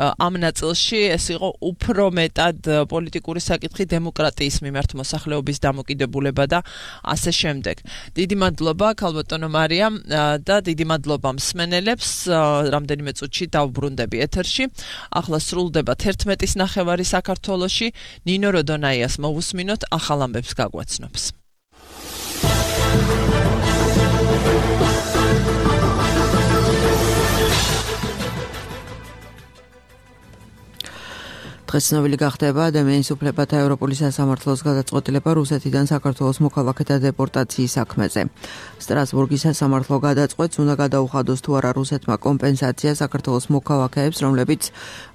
ამ ნაწილში, ეს იყო უფრო მეტად პოლიტიკური საკითხი, დემოკრატიის მიმართ მოსახლეობის დამოკიდებულება და ასე შემდეგ. დიდი მადლობა ქალბატონო მარიამ და დიდი მადლობა მსმენელებს, რამდენიმე წუთში დავბრუნდები ეთერში. ახლა სრულდება თერთმეტის ნახევარი საქართველოში. ნინო როდონაიას მოვუსმინოთ, ახალ ამბებს გაგვაცნობს. დღეს ცნობილი გახდება ადამიანის უფლებათა ევროპული სასამართლოს გადაწყვეტილება რუსეთიდან საქართველოს მოქალაქეთა დეპორტაციის საქმეზე. სტრასბურგის სასამართლო გადაწყვეტს უნდა გადაუხადოს თუ არა რუსეთმა კომპენსაცია საქართველოს მოქალაქეებს, რომლებიც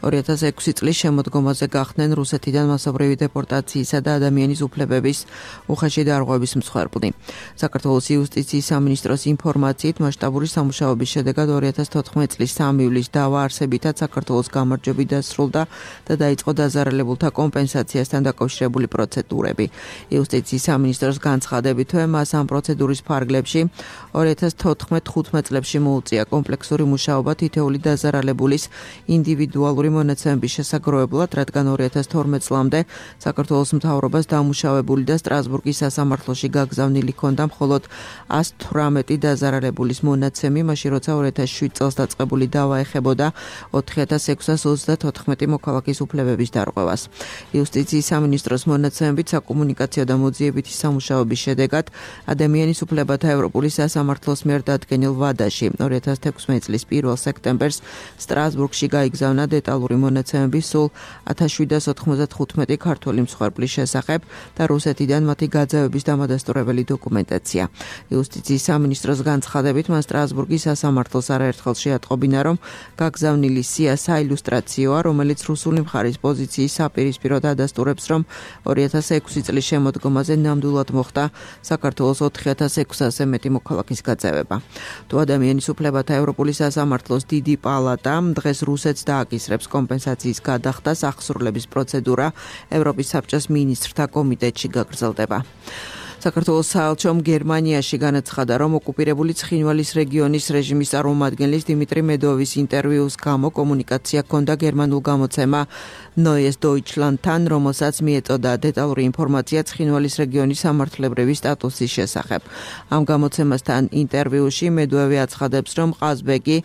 ორი ათას ექვსი წლის შემოდგომაზე გახდნენ რუსეთიდან მასობრივი დეპორტაციისა და ადამიანის უფლებების უხეში დარღვევის მსხვერპლი. საქართველოს იუსტიციის სამინისტროს ინფორმაციით მასშტაბური სამუშაოების შედეგად ორი ათას თოთხმეტი წლის სამი ივლისს დავა არსებითად საქართველოს გამარჯვებით დასრულდა და დაიწყო დაზარალებულთა კომპენსაციასთან დაკავშირებული პროცედურები. იუსტიციის სამინისტროს განცხადებითვე მას ამ პროცედურის ფარგლებში ორი ათას თოთხმეტ ხუთმეტ წლებში მოუწია კომპლექსური მუშაობა თითოეული დაზარალებულის ინდივიდუალური მონაცემების შესაგროვებლად, რადგან ორი ათას თორმეტ წლამდე საქართველოს მთავრობას დამუშავებული და სტრასბურგის სასამართლოში გაგზავნილი ჰქონდა მხოლოდ ას თვრამეტი დაზარალებულის მონაცემი, მაშინ როცა ორი ათას შვიდ წელს დაწყებული დავა ეხებოდა ოთხი ათას ექვსას ოცდათოთხმეტი მოქალაქის უფლებების დარღვევას. იუსტიციის სამინისტროს მონაცემებით საკომუნიკაციო და მოძიებითი სამუშაოების შედეგად ადამიანის უფლებათა ევროპული სასამართლოს მიერ დადგენილ ვადაში ორი ათას თექვსმეტი წლის პირველ სექტემბერს სტრასბურგში გაიგზავნა დეტალური მონაცემები სულ ათას შვიდას ოთხმოცდახუთმეტი ქართველი მსხვერპლის შესახებ და რუსეთიდან მათი გაძევების დამადასტურებელი დოკუმენტაცია. იუსტიციის სამინისტროს განცხადებით მან სტრასბურგის სასამართლოს არაერთხელ შეატყობინა, რომ გაგზავნილი სია საილუსტრაციოა, რომელიც რუსული მხარის პოზიციის საპირისპიროდ ადასტურებს, რომ ორი ათას ექვსი წლის შემოდგომაზე ნამდვილად მოხდა საქართველოს ოთხი ათას ექვსასზე მეტი მოქალაქის გაძევება. თუ ადამიანის უფლებათა ევროპული სასამართლოს დიდი პალატა დღეს რუსეთს დააკისრებს კომპენსაციის გადახდას, აღსრულების პროცედურა ევროპის საბჭოს მინისტრთა კომიტეტში გაგრძელდება. საქართველოს საელჩომ გერმანიაში განაცხადა, რომ ოკუპირებული ცხინვალის რეგიონის რეჟიმის წარმომადგენლის დიმიტრი მედოვის ინტერვიუს გამო კომუნიკაცია ჰქონდა გერმანულ გამოცემა Neues Deutschlandთან, რომელსაც მიეწოდა დეტალური ინფორმაცია ცხინვალის რეგიონის სამართლებრივი სტატუსის შესახებ. ამ გამოცემასთან ინტერვიუში მედოვი აცხადებს, რომ ყაზბეგი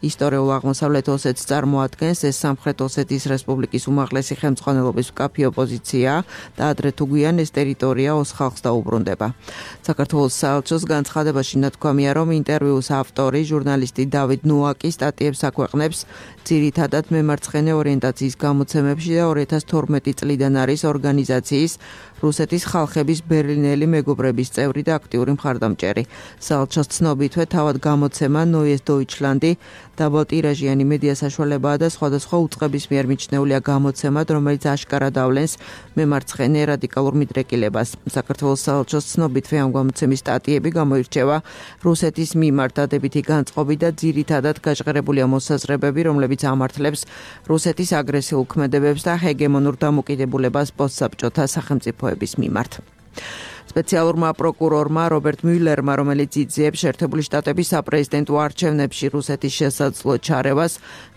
ისტორიულ აღმოსავლეთ ოსეთს წარმოადგენს, ეს სამხრეთ ოსეთის რესპუბლიკის უმაღლესი ხელმძღვანელობის მკაფიო ოპოზიციაა და ადრე თუ გვიან ეს ტერიტორია ოს ხალხს დაუბრუნდება. საქართველოს საელჩოს განცხადებაში ნათქვამია, რომ ინტერვიუს ავტორი, ჟურნალისტი დავით ნოაკი სტატიებს აქვეყნებს ძირითადად მემარცხენე ორიენტაციის გამოცემებში და ორი ათას თორმეტი წლიდან არის ორგანიზაციის რუსეთის ხალხების ბერლინელი მეგობრების წევრი და აქტიური მხარდამჭერი. საელჩოს ცნობითვე თავად გამოცემა Neues Deutschlandi დაბალტირაჟიანი მედია საშუალებაა და სხვადასხვა უწყების მიერ მიჩნეულია გამოცემად, რომელიც აშკარად ავლენს მემარცხენე რადიკალურ მიდრეკილებას. საქართველოს საელჩოს ცნობითვე ამ გამოცემის სტატიები გამოირჩევა რუსეთის მიმართ დადებითი განწყობი და ძირითადად გაჟღერებულია მოსაზრებები, რომლებიც ამართლებს რუსეთის აგრესიულ ქმედებებს და ჰეგემონურ დამოკიდებულებას პოსტსაბჭოთა სახელმწიფოების მიმართ. სპეციალურმა პროკურორმა რობერტ მიულერმა, რომელიც იძიებს შეერთებული შტატების საპრეზიდენტო არჩევნებში რუსეთის შესაძლო ჩარევას,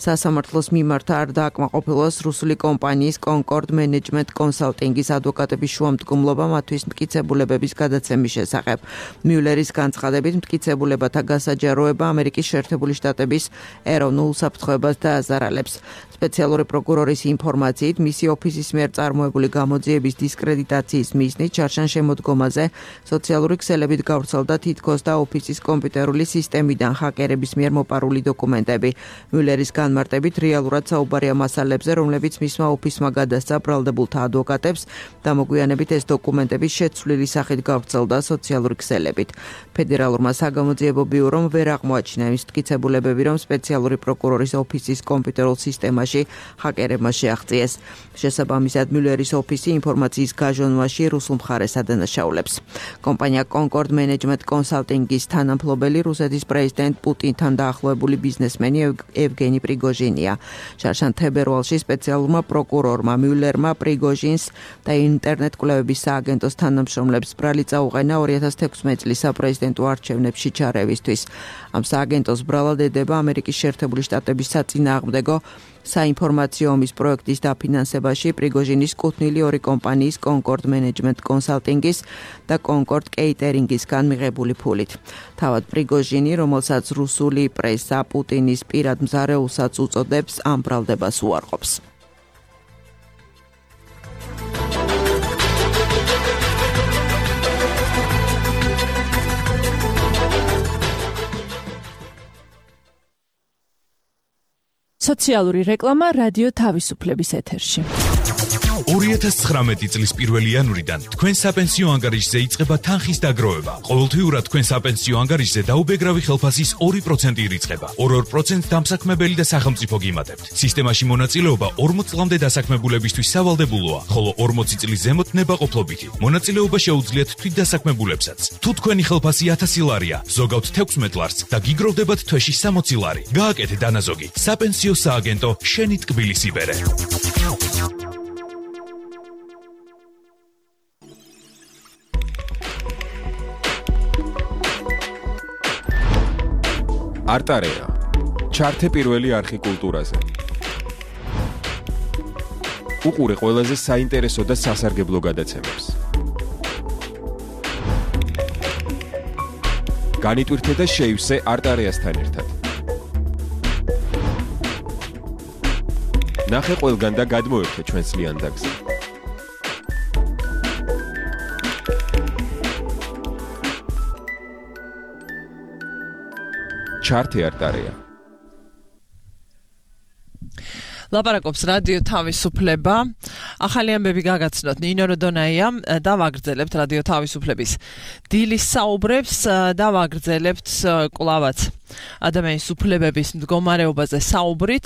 სასამართლოს მიმართ არ დააკმაყოფილოს რუსული კომპანიის კონკორდ მენეჯმენტ კონსალტინგის ადვოკატების შუამდგომლობა მათთვის მტკიცებულებების გადაცემის შესახებ. მიულერის განცხადებით, მტკიცებულებათა გასაჯაროება ამერიკის შეერთებული შტატების ეროვნულ საფრთხეობას დააზარალებს. სპეციალური პროკურორის ინფორმაციით, მისი ოფისის მიერ წარმოებული გამოძიების დისკრედიტაციის მიზნით ჩარჩან შემოდგომაზე თემაზე სოციალური ქსელებით გავრცელდა თითქოს და ოფისის კომპიუტერული სისტემიდან ჰაკერების მიერ მოპარული დოკუმენტები. მიულერის განმარტებით რეალურად საუბარია მასალებზე, რომლებიც მისმა ოფისმა გადასცა ბრალდებულთა ადვოკატებს და მოგვიანებით ეს დოკუმენტები შეცვლილი სახით გავრცელდა სოციალური ქსელებით. ფედერალურმა საგამოძიებო ბიურომ ვერ აღმოაჩინა ის მტკიცებულებები, რომ სპეციალური პროკურორის ოფისის კომპიუტერულ სისტემაში ჰაკერებმა შეაღწიეს. შესაბამისად, მიულერის ოფისი ინფორმაციის გაჟონვაში რუსულ მხარეს ადანაშაულებს. კომპანია Concord Management Consulting-ის თანამფლობელი რუსეთის პრეზიდენტ პუტინთან დაახლოებული ბიზნესმენი ევგენი პრიგოჟინია. შარშან თებერვალში სპეციალურმა პროკურორმა მიულერმა პრიგოჟინს და ინტერნეტ კვლევების სააგენტოს თანამშრომლებს ბრალი წაუყენა ორი ათას თექვსმეტი წლის საპრეზიდენტო არჩევნებში ჩარევისთვის. ამ სააგენტოს ბრალად ედება ამერიკის შეერთებული შტატების საწინააღმდეგო საინფორმაციო ომის პროექტის დაფინანსებაში პრიგოჟინის კუთვნილი ორი კომპანიის Concord Management Consulting-ის და Concord Catering-ისგან მიღებული ფულით. თავად პრიგოჟინი, რომელსაც რუსული პრესა პუტინის პირად მზარეულსაც უწოდებს, ამ ბრალდებას უარყოფს. სოციალური რეკლამა რადიო თავისუფლების ეთერში. ორი ათას ცხრამეტი წლის პირველი იანვრიდან თქვენ საპენსიო ანგარიშზე იწყება თანხის დაგროვება. ყოველთვიურად თქვენ საპენსიო ანგარიშზე დაუბეგრავი ხელფასის ორი პროცენტი ირიცხება. ორ-ორ პროცენტს დამსაქმებელი და სახელმწიფო გიმატებთ. სისტემაში მონაწილეობა ორმოც წლამდე დასაქმებულებისთვის სავალდებულოა, ხოლო ორმოცი წლის ზემოთ ნებაყოფლობითი. მონაწილეობა შეუძლიათ თვითდასაქმებულებსაც. თუ თქვენი ხელფასი ათასი ლარია, ზოგავთ თექვსმეტ ლარს და გიგროვდებათ თვეში სამოცი ლარი. გააკეთე დანაზოგი. საპენსიო სააგენტო შენი ტკბილის იბერე. არტარეა. ჩართე პირველი არხი კულტურაზე. უყურე ყველაზე საინტერესო და სასარგებლო გადაცემებს. განიტვირთე და შეივსე არტარეასთან ერთად. ნახე ყველგან და გადმოერთე ჩვენს ლიანდაგზე. ჩართე არტარეა. ლაპარაკობს რადიო თავისუფლება. ახალი ამბები გაგაცნოთ ნინო როდონაიამ და ვაგრძელებთ რადიო თავისუფლების დილის საუბრებს და ვაგრძელებთ კლავაც ადამიანის უფლებების მდგომარეობაზე საუბრით.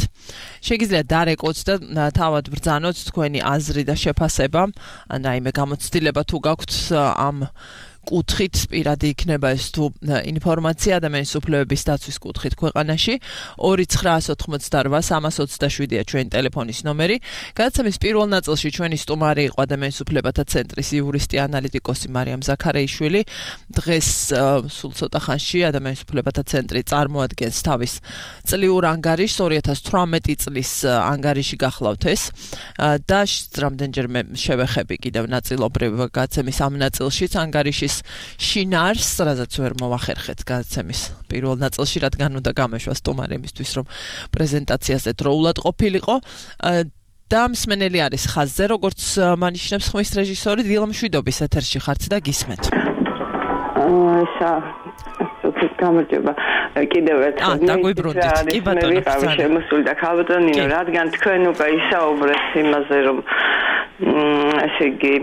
შეგიძლიათ დარეკოთ და თავად ბრძანოთ თქვენი აზრი და შეფასება, ან რაიმე გამოცდილება თუ გაქვთ ამ კუთხით, პირადი იქნება ეს თუ ინფორმაცია ადამიანის უფლებების დაცვის კუთხით ქვეყანაში. ორი ცხრაას ოთხმოცდაორვა სამას ოცდაშვიდია ჩვენი ტელეფონის ნომერი. გადაცემის პირველ ნაწილში ჩვენი სტუმარი იყო ადამიანის უფლებათა ცენტრის იურისტი ანალიტიკოსი მარიამ ზაქარეიშვილი. დღეს სულ ცოტა ხანში ადამიანის უფლებათა ცენტრი წარმოადგენს თავის წლიურ ანგარიშს, ორი ათას თვრამეტი წლის ანგარიში გახლავთ ეს და რამდენჯერმე შევეხები კიდევ ნაწილობრივ გადაცემის ამ ნაწილშიც ანგარიშის შინაარს, რაზეც ვერ მოვახერხეთ გადაცემის პირველ ნაწილში, რადგან უნდა გამეშვა სტუმარი იმისთვის, რომ პრეზენტაციაზე დროულად ყოფილიყო. და მსმენელი არის ხაზზე, როგორც მანიშნებს ხმის რეჟისორი დილა მშვიდობის ეთერში ხართ და გისმენთ. ესა გამარჯობა. კიდევ ერთხელ დაგვიბრუნდით. კი ბატონო, შემოსული და ქალბატონო ნინო, რადგან თქვენ უკვე ისაუბრეთ იმაზე, რომ ესე იგი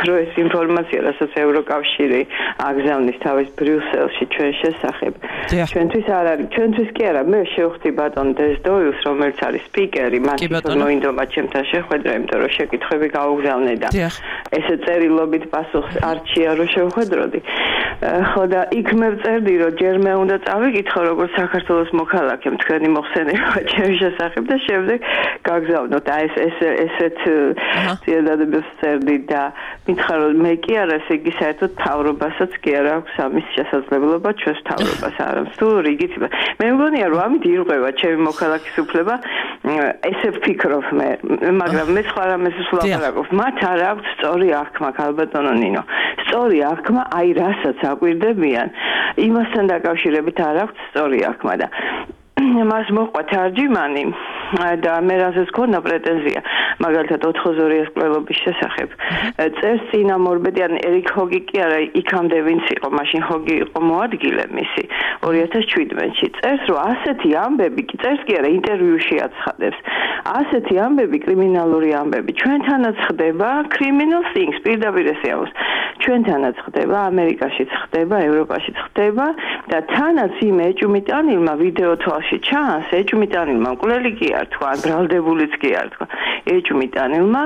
რომ ეს ინფორმაცია, რასაც ევროკავშირი აგზავნის თავის ბრიუსელში ჩვენ შესახებ, ჩვენთვის არ არის, ჩვენთვის კი არა, მე შევხვდი ბატონ დესდოილს, რომელიც არის სპიკერი, მას მოინდომა ჩემთან შეხვედრა, იმიტომ რომ შეკითხვები გაუგზავნე და ესე წერილობით პასუხს არჩია რომ შევხვედროდი. ხო და იქ მე ვწერდი, რომ ჯერ მე უნდა წავიკითხო როგორც საქართველოს მოქალაქემ თქვენი მოხსენება ჩემი შესახებ და შემდეგ გაგზავნოთ. აი ეს ეს ესეთ ძიებადებს წერდი და მითხრა რომ მე კი არა, ესე იგი საერთოდ თავრობასაც კი არა აქვს ამის შესაძლებლობა ჩვენს თავრობას არამს თუ რიგით. მე მგონია რომ ამით ირღვევა ჩემი მოქალაქის უფლება, ესე ვფიქრობ მე, მაგრამ მე სხვა რამეს ვლაპარაკობ. მათ არ აქვს სწორი აღქმა, ქალბატონო ნინო. სწორი აღქმა აი რასაც აკვირდებიან, იმასთან დაკავშირებით არ აქვს სწორი აღქმა და მას მოყვა თარჯიმანი და მე რასაც ქონა პრეტენზია მაგალითად ოთხზორიას კვლევობის შესახებ წერს წინა მორბედი ან ერიკ ჰოგი კი არა იქამდე ვინც იყო მაშინ ჰოგი იყო მოადგილე მისი ორი ათას შვიდმეტში წერს რომ ასეთი ამბები კი წერს კი არა ინტერვიუში აცხადებს ასეთი ამბები კრიმინალური ამბები ჩვენთანაც ხდება criminal things პირდაპირ ესე აქვს ჩვენთანაც ხდება ამერიკაშიც ხდება ევროპაშიც ხდება და თანაც იმ ეჭვმიტანილმა ვიდეო თვალში ჩანს ეჭვმიტანილმა მკვლელი კი არ თქვა ბრალდებულიც კი არ თქვა ეჭვმიტანილმა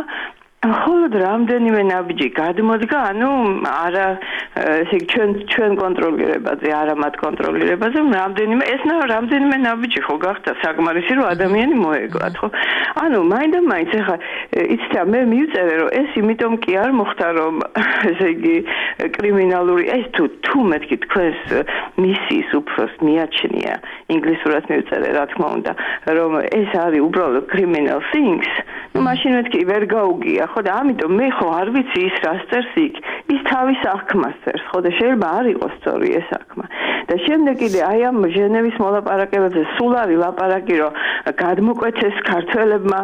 ხოლოდ რამდენიმე ნაბიჯი გადმოდგა, ანუ არა ესე ჩვენ ჩვენ კონტროლირებაზე, არა მათ კონტროლირებაზე, რამდენიმე ეს რამდენიმე ნაბიჯი ხო გახდა საკმარისი რომ ადამიანი მოეგვათ, ხო? ანუ მაინდა მაინც ახლა იცით მე მივწერე რომ ეს იმიტომ კი არ მოხდა რომ ესე იგი კრიმინალური ეს თუ თუ მეთქი თქვენს მისიის უფროს მიაჩნია ინგლისურად მივწერე რა თქმა უნდა რომ ეს არის უბრალოდ criminal things ну მაშინ მეთქი ვერ გაუგია ხო და ამიტომ მე ხო არ ვიცი ის რას წერს იქ ის თავის საქმას წერს ხო და შეიძლება არ იყოს სწორი ეს საქმე და შემდეგ კიდე აი ამ ჟენევის მოლაპარაკებებზე სულ არის ლაპარაკი რომ გადმოკვეთეს ქართველებმა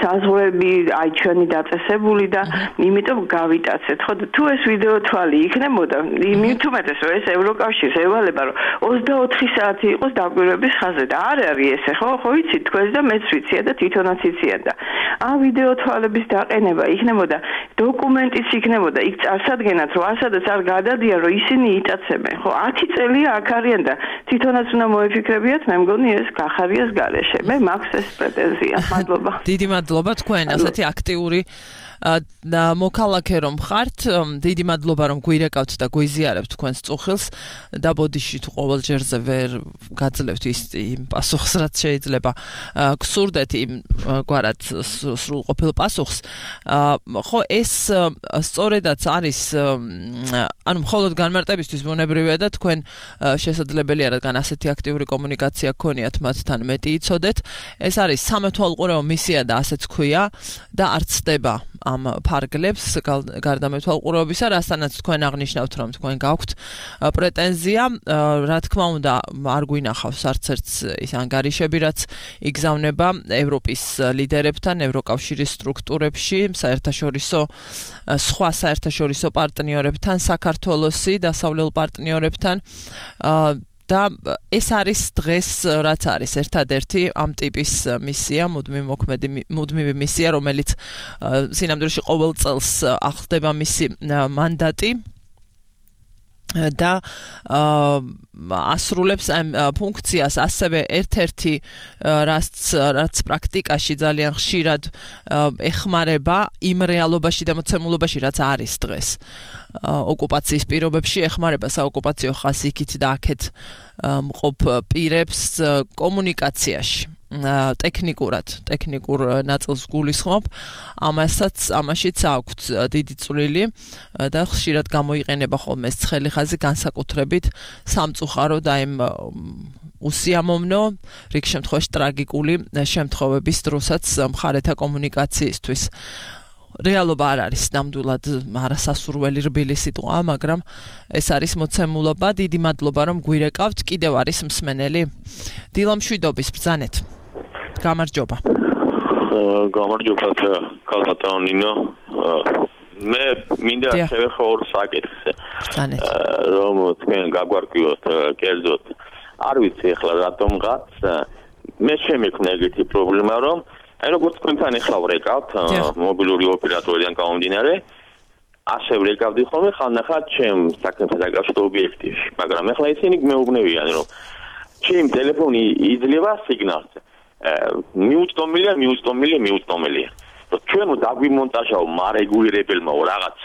საზღვრები აი ჩვენი დაწესებული და იმიტომ გავიტაცეთ ხო და თუ ეს ვიდეო თვალი იქნებოდა მით უმეტეს რომ ეს ევროკავშირს ევალება რომ ოცდაოთხი საათი იყოს დაკვირვების ხაზზე და არ არის ესე ხო ხო ვიცი თქვენს და მეც ვიცია და თვითონაც იციან და ამ ვიდეო თვალების დაყენება იქნებოდა დოკუმენტიც იქნებოდა იქ წარსადგენად რომ ასადაც არ გადადიან რომ ისინი იტაცებენ ხო ათი წელია აქ არიან და თვითონაც უნდა მოეფიქრებიათ მე მგონი ეს გახარიას გარეშე მე მაქვს ეს პრეტენზია მადლობა დიდი მადლობა თქვენ ასეთი აქტიური და მოქალაქე რომ ხართ დიდი მადლობა რომ გვირეკავთ და გვიზიარებთ თქვენს წუხილს და ბოდიში თუ ყოველ ჯერზე ვერ გაძლევთ ის იმ პასუხს რაც შეიძლება გსურდეთ იმ გვარად სრულყოფილ პასუხს ხო ეს სწორედაც არის ანუ მხოლოდ განმარტებისთვის ბუნებრივია და თქვენ შესაძლებელია რადგან ასეთი აქტიური კომუნიკაცია გქონიათ მათთან მეტი იცოდეთ ეს არის სამეთვალყურეო მისია და ასეც ქვია და არ ცდება ამ ფარგლებს გარდამეთვალყურეობისა, რასთანაც თქვენ აღნიშნავთ, რომ თქვენ გაქვთ პრეტენზია, რა თქმა უნდა, არ გვინახავს არც ერთს ის ანგარიშები, რაც იგზავნება ევროპის ლიდერებთან, ევროკავშირის სტრუქტურებში, საერთაშორისო სხვა საერთაშორისო პარტნიორებთან, საქართველოსი დასავლელ პარტნიორებთან და ეს არის დღეს რაც არის ერთადერთი ამ ტიპის მისია, მუდმივი მოქმედი მუდმივი მისია, რომელიც სინამდვილეში ყოველ წელს ახლდება მისი მანდატი და ასრულებს ამ ფუნქციას ასევე ერთ-ერთი რაც რაც პრაქტიკაში ძალიან ხშირად ეხმარება იმ რეალობაში და მოცემულობაში რაც არის დღეს ოკუპაციის პირობებში ეხმარება საოკუპაციო ხასიათით და აქეთ მყოფ პირებს კომუნიკაციაში ტექნიკურად ტექნიკურ ნაწილს გულისხმობ ამასაც ამაშიც აქვთ დიდი წვლილი და ხშირად გამოიყენება ხოლმე ეს ცხელი ხაზი განსაკუთრებით სამწუხარო და იმ უსიამოვნო რიგ შემთხვევაში ტრაგიკული შემთხვევების დროსაც მხარეთა კომუნიკაციისთვის რეალობა არ არის ნამდვილად არასასურველი რბილი სიტყვა, მაგრამ ეს არის მოცემულობა. დიდი მადლობა რომ გვირეკავთ. კიდევ არის მსმენელი. დილამშვიდობის ბრძანეთ. გამარჯობა. გამარჯობა ქალბატონო ნინო. მე მინდა შევეხო ორ საკითხს. ბრძანეთ. რომ თქვენ გაგვარკვიოთ კერძოდ. არ ვიცი ახლა რატომღაც მე შემექმნა ეგეთი პრობლემა რომ აი როგორც თქვენთან ახლა ვრეკავთ მობილური ოპერატორიდან გამომდინარე ასე ვრეკავდი ხოლმე ხანახა ჩემ საქმესთან დაკავშირებულ ობიექტებში მაგრამ ახლა ისინი მეუბნებიან რომ ჩემ ტელეფონი იძლევა სიგნალს მიუწვდომელია მიუწვდომელია მიუწვდომელია რომ ჩვენ დაგვიმონტაჟაო მარეგულირებელმაო რაღაც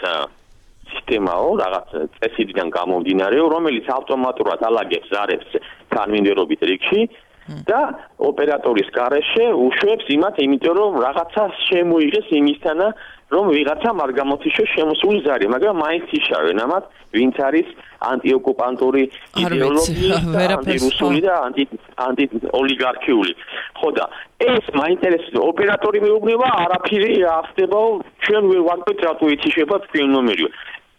სისტემაო რაღაც წესიდან გამომდინარეო რომელიც ავტომატურად ალაგებს ზარებს თანმიმდევრობით რიგში და ოპერატორის გარეშე უშვებს იმათ, იმიტომ რომ რაღაცა შემოიღეს იმისთანა, რომ ვიღაცამ არ გამოთიშოს შემოსული ზარი, მაგრამ მაინც იშავენ ამათ, ვინც არის ანტიოკუპანტური იდეოლოგია, ანტირუსული და ანტი ანტიოლიგარქიული. ხო და ეს მაინტერესებს ოპერატორი მეუბნება, არაფერი ახსნებაო, ჩვენ ვერ ვარკვევთ რატო ითიშება თქვენ ნომერიო.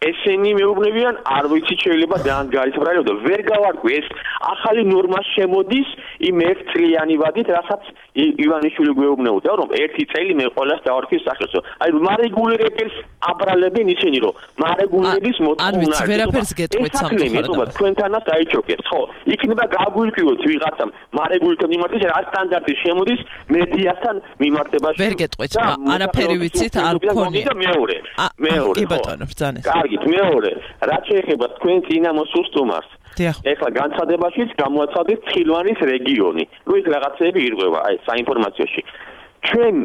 ესენი მეუბნებიან არ ვიცით შეიძლება ძალიან გარისბრალიო და ვერ გავარკვი ეს ახალი ნორმა შემოდის იმ ერთ წლიანი ვადით რასაც ივანიშვილი გვეუბნებოდა რომ ერთი წელი მე ყველას დავარქვის სახელსო. აი მარეგულირებელს აბრალებენ ისინი რომ მარეგულირების მოთხოვნა არ ვიცი ვერაფერს გეტყვით სამწუხაროდ. თქვენთანაც დაიჩოქებს, ხო? იქნება გაგვირკვიოთ ვიღაცამ მარეგულირებთან მიმართება რა სტანდარტი შემოდის მედიასთან მიმართებაში. ვერ გეტყვით, არაფერი ვიცით, არ გქონია. მეორე. მეორე. კი ბატონო, ბრძანეს. კარგით, მეორე. რაც შეეხება თქვენ წინამოს უსტუმარს ეხლა განცხადებაშიც გამოაცხადეთ ცხილვანის რეგიონი. ნუ ის რაღაცები ირღვევა აი საინფორმაციოში. ჩვენ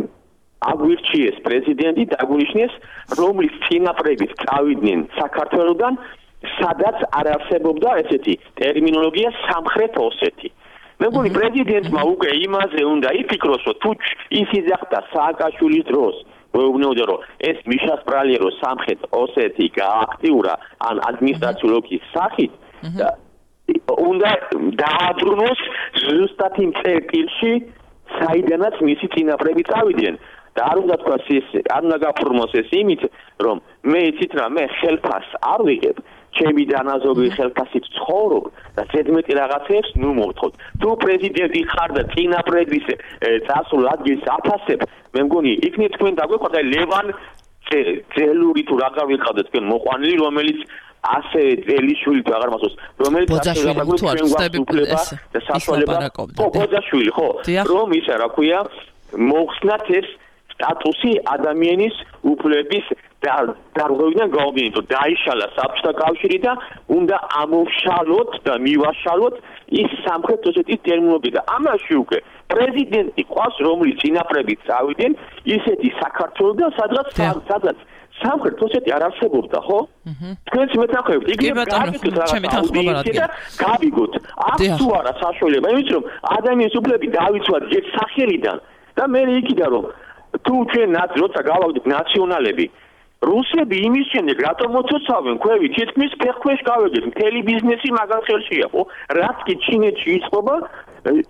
აგვირჩიეს პრეზიდენტი დაგვნიშნეს, რომლის წინაპრებით წავიდნენ საქართველოსგან, სადაც არ არსებობდა ესეთი ტერმინოლოგია სამხრეთ ოსეთი. მე მგონი პრეზიდენტმა უკვე იმაზე უნდა იფიქროს, რომ თუ ის იძახდა სააკაშვილის დროს გვეუბნებოდა რომ ეს მიშასპრალია რომ სამხრეთ ოსეთი გააქტიურა ან ადმინისტრაციული ოლქის სახით უნდა დააბრუნოს ზუსტად იმ წერტილში საიდანაც მისი წინაპრები წავიდნენ და არ უნდა თქვას ეს არ უნდა გაფორმოს ეს იმით რომ მე იცით რა მე ხელფას არ ვიღებ ჩემი დანაზოგი ხელფასით ცხოვრობ და ზედმეტი რაღაცებს ნუ მოვთხოვთ თუ პრეზიდენტი ხარ და წინაპრების წასულ ადგილს აფასებ მე მგონი იქნებ თქვენ დაგვეყარდა ლევან ძელური თუ რაღაც ვიყავდეთ თქვენ მოყვანილი რომელიც ასე ძელიშვილი თუ აღარ მასოს რომელიც ასე გაგვიჩვენა და საშუალება ხო ბოძაშვილი ხო რომ ისა რა ქვია მოხსნათ ეს სტატუსი ადამიანის უფლების დარღვევიდან გაუგინოთ დაიშალა საბჭოთა კავშირი და უნდა ამოვშალოთ და მივაშალოთ ის სამხრეთ ოსეთის ტერმინოლოგია და ამაში უკვე პრეზიდენტი ყავს რომლის წინაპრები წავიდნენ ისეთი საქართველოსგან სადღაც სადღაც სამხრეთ ოსეთი არ არსებობდა ხო? თქვენც მეთანხმებით იგივე გაიგეთ და გავიგოთ აქ თუ არა საშუალება იმის რომ ადამიანის უფლები დაიცვათ ერთ სახელიდან და მე იქიდან რომ თუ ჩვენ როცა გავავდით ნაციონალები რუსები იმის შემდეგ რატომ მოცოცავენ ქვევი თითქმის ფეხქვეშ გავეგეთ მთელი ბიზნესი მაგან ხელშია ხო რაც კი ჩინეთში იწყობა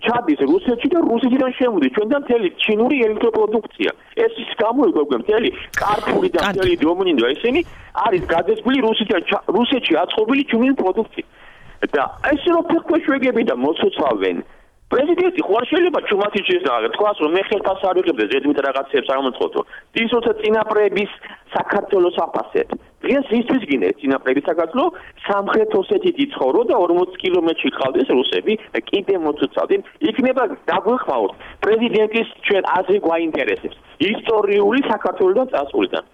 ჩადის რუსეთში და რუსეთიდან შემოდის ჩვენთან მთელი ჩინური ელექტროპროდუქცია ეს ის გამოიგებგა მთელი კარფური და მთელი დომინინო ესენი არის გადაწყობილი რუსეთიდან რუსეთში აწყობილი ჩინური პროდუქცია და ეს რო ფეხქვეშ ვეგები და მოცოცავენ პრეზიდენტი ხო არ შეიძლება ჩუმათი შეიძლება თქვას რომ მე ხელფას არ ვიღებ და ზედმეტ რაღაცებს არ მომწყობო ის როცა წინაპრების საქართველოს აფასებ დღეს ისთვის გინდა წინაპრების საქართველოს სამხრეთ ოსეთით იცხოვრო და ორმოც კილომეტრში ხავდეს რუსები კიდე მოცუცავდნენ იქნება დაგვეხმაურთ პრეზიდენტის ჩვენ აზრი გვაინტერესებს ისტორიული საქართველოსთან წასულიდან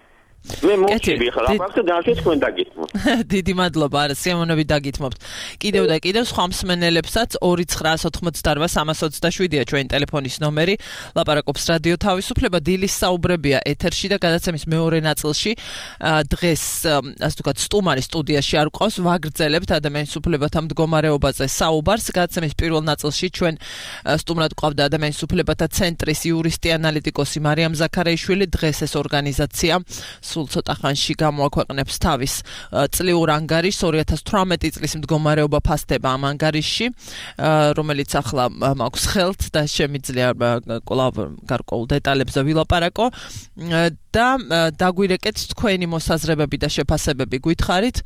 მე მოჩები ხარ აბახტა დაშეს თქვენ დაგითმობთ დიდი მადლობა არა სიამოვნები დაგითმობთ კიდევ და კიდევ სხვა მსმენელებსაც ორი ცხრა ოცდაოთხმოცდაოთხ სამას ოცდაშვიდია ჩვენი ტელეფონის ნომერი ლაპარაკობს რადიო თავისუფლება დილის საუბრებია ეთერში და გადაცემის მეორე ნაწილში დღეს ასე ვთქვათ სტუმარი სტუდიაში არ ყავს ვაგრძელებთ ადამიანის უფლებათა მდგომარეობაზე საუბარს გადაცემის პირველ ნაწილში ჩვენ სტუმრად ყავდა ადამიანის უფლებათა ცენტრის იურისტი ანალიტიკოსი მარიამ ზაქარაიშვილი დღეს ეს ორგანიზაცია სულ ცოტა ხანში გამოაქვეყნებს თავის წლიურ ანგარიშს ორი ათას თვრამეტი წლის მდგომარეობა ფასდება ამ ანგარიშში რომელიც ახლა მაქვს ხელთ და შემიძლია კვლავ გარკვეულ დეტალებზე ვილაპარაკო და დაგვირეკეთ თქვენი მოსაზრებები და შეფასებები გითხარით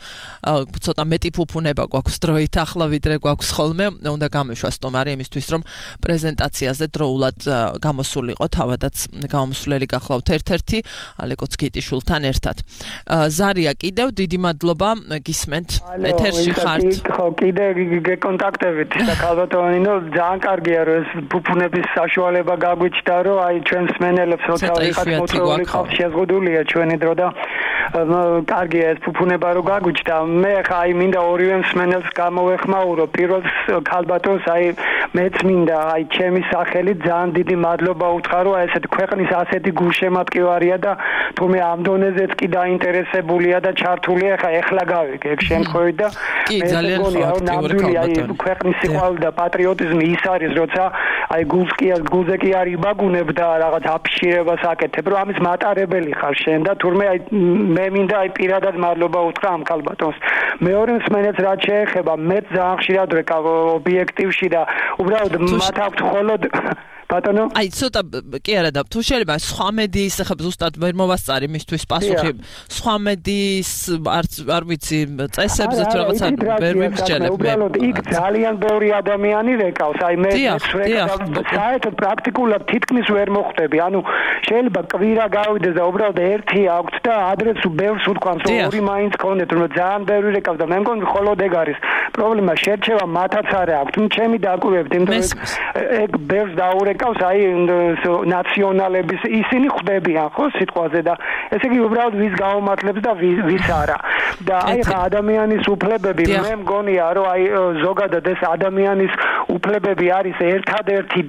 ცოტა მეტი ფუფუნება გვაქვს დროით ახლა ვიდრე გვაქვს ხოლმე უნდა გამეშვა სტუმარი იმისთვის რომ პრეზენტაციაზე დროულად გამოსულიყო თავადაც გამოსვლელი გახლავთ ერთ-ერთი ალეკოც გიტიშვილთან ერთად ზარია კიდევ დიდი მადლობა გისმენთ ეთერში ხართ ხო კიდე გეკონტაქტებით და ქალბატონინო ძალიან კარგია რომ ეს ფუფუნების საშუალება გაგვიჩნდა რომ აი ჩვენ მსმენელებს როცა ვიღაც მოწვეული ხალხი შეზღუდულია ჩვენი დრო და კარგია ეს ფუფუნება რომ გაგვიჩნდა მე ხა აი მინდა ორივე მსმენელს გამოვეხმაურო პირველ ქალბატონს აი მეც მინდა აი ჩემი სახელი ძალიან დიდი მადლობა უთხრა აი ესეთი ქვეყნის ასეთი გულშემატკივარია და თუმე ამ დონეზეც კი დაინტერესებულია და ჩართულია ხა ეხლა გავიგე ეგ შემთხვევით და კი ძალიან ხალხური აი ქვეყნის სიყვარული და პატრიოტიზმი ის არის როცა აი გულს კი გულზე კი არ იბაგუნებ და რაღაც აფიშირებას აკეთებ რომ ამის მატარებელი ხარ შენ და თურმე აი მე მინდა აი პირადად მადლობა უთხრა ამ ქალბატონს მეორე მსმენელს რაც შეეხება მე ძალიან ხშირად ვეკავ ობიექტივში და უბრალოდ მათ აქვთ მხოლოდ ბატონო აი ცოტა კი არა და თუ შეიძლება სხვა მედიის ახლა ზუსტად ვერ მოვასწარი მისთვის პასუხი სხვა მედიის არც არ ვიცი წესებზე თუ რაღაცა ვერ ვიმსჯელებ უბრალოდ იქ ძალიან ბევრი ადამიანი რეკავს აი მე საერთოდ პრაქტიკულად თითქმის ვერ მოხვდები ანუ შეიძლება კვირა გავიდეს და უბრალოდ ერთი აქვს და ადრეს ბევრს უთქვამს რომ ორი მაინც ქონდეთ რომ ძალიან ბევრი რეკავს და მე მგონი მხოლოდ ეგ არის პრობლემა შერჩევა მათაც არ აქვს თუ ჩემი დაკვირვებით იმიტომ რომ ეგ ბევრს დაურეკავს აი ნაციონალების ისინი ხვდებიან ხო სიტყვაზე და ესე იგი უბრალოდ ვის გაუმართლებს და ვის არა და აი ხა ადამიანის უფლებები მე მგონია რომ აი ზოგადად ეს ადამიანის უფლებები არის ერთადერთი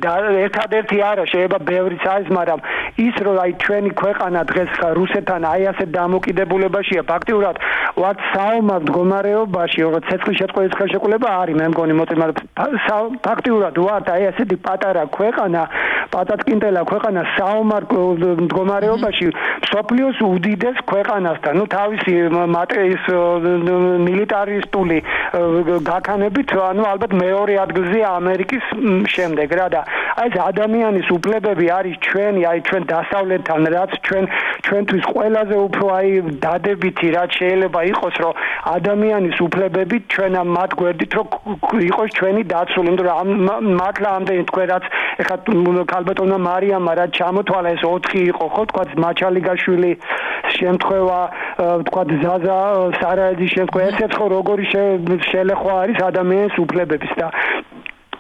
ერთადერთი არა შეიძლება ბევრიც არის მაგრამ ის რომ აი ჩვენი ქვეყანა დღეს რუსეთთან აი ასე დამოკიდებულებაშია ფაქტიურად ვართ საომარ მდგომარეობაში როგორც ცეცხლის შეწყვილის ხელშეკრულება არის მე მგონი მოწმე მაგრამ ფაქტიურად ვართ აი ასეთი პატარა ქვეყანა პატატკინტელა ქვეყანა საომარ მდგომარეობაში სოფლიოს უდიდეს ქვეყანასთან ნუ თავისი მატრის მილიტარისტული გაქანებით ანუ ალბათ მეორე ადგილზეა ამერიკის შემდეგ რა და აი ეს ადამიანის უფლებები არის ჩვენი აი ჩვენ დასავლეთთან რაც ჩვენ ჩვენთვის ყველაზე უფრო აი დადებითი რაც შეიძლება იყოს რომ ადამიანის უფლებები ჩვენ ამ მათ გვერდით რომ იყოს ჩვენი დაცული იმიტომ რომ მართლა ამდენი თქვენ რაც ეხლა ქალბატონმა მარიამმა რაც ჩამოთვალა ეს ოთხი იყო ხო თქვა მაჩალიგაშვილი შემთხვევა თქვა ზაზა სარაეძის შემთხვევა ესეც ხო როგორი შელეხვა არის ადამიანის უფლებების და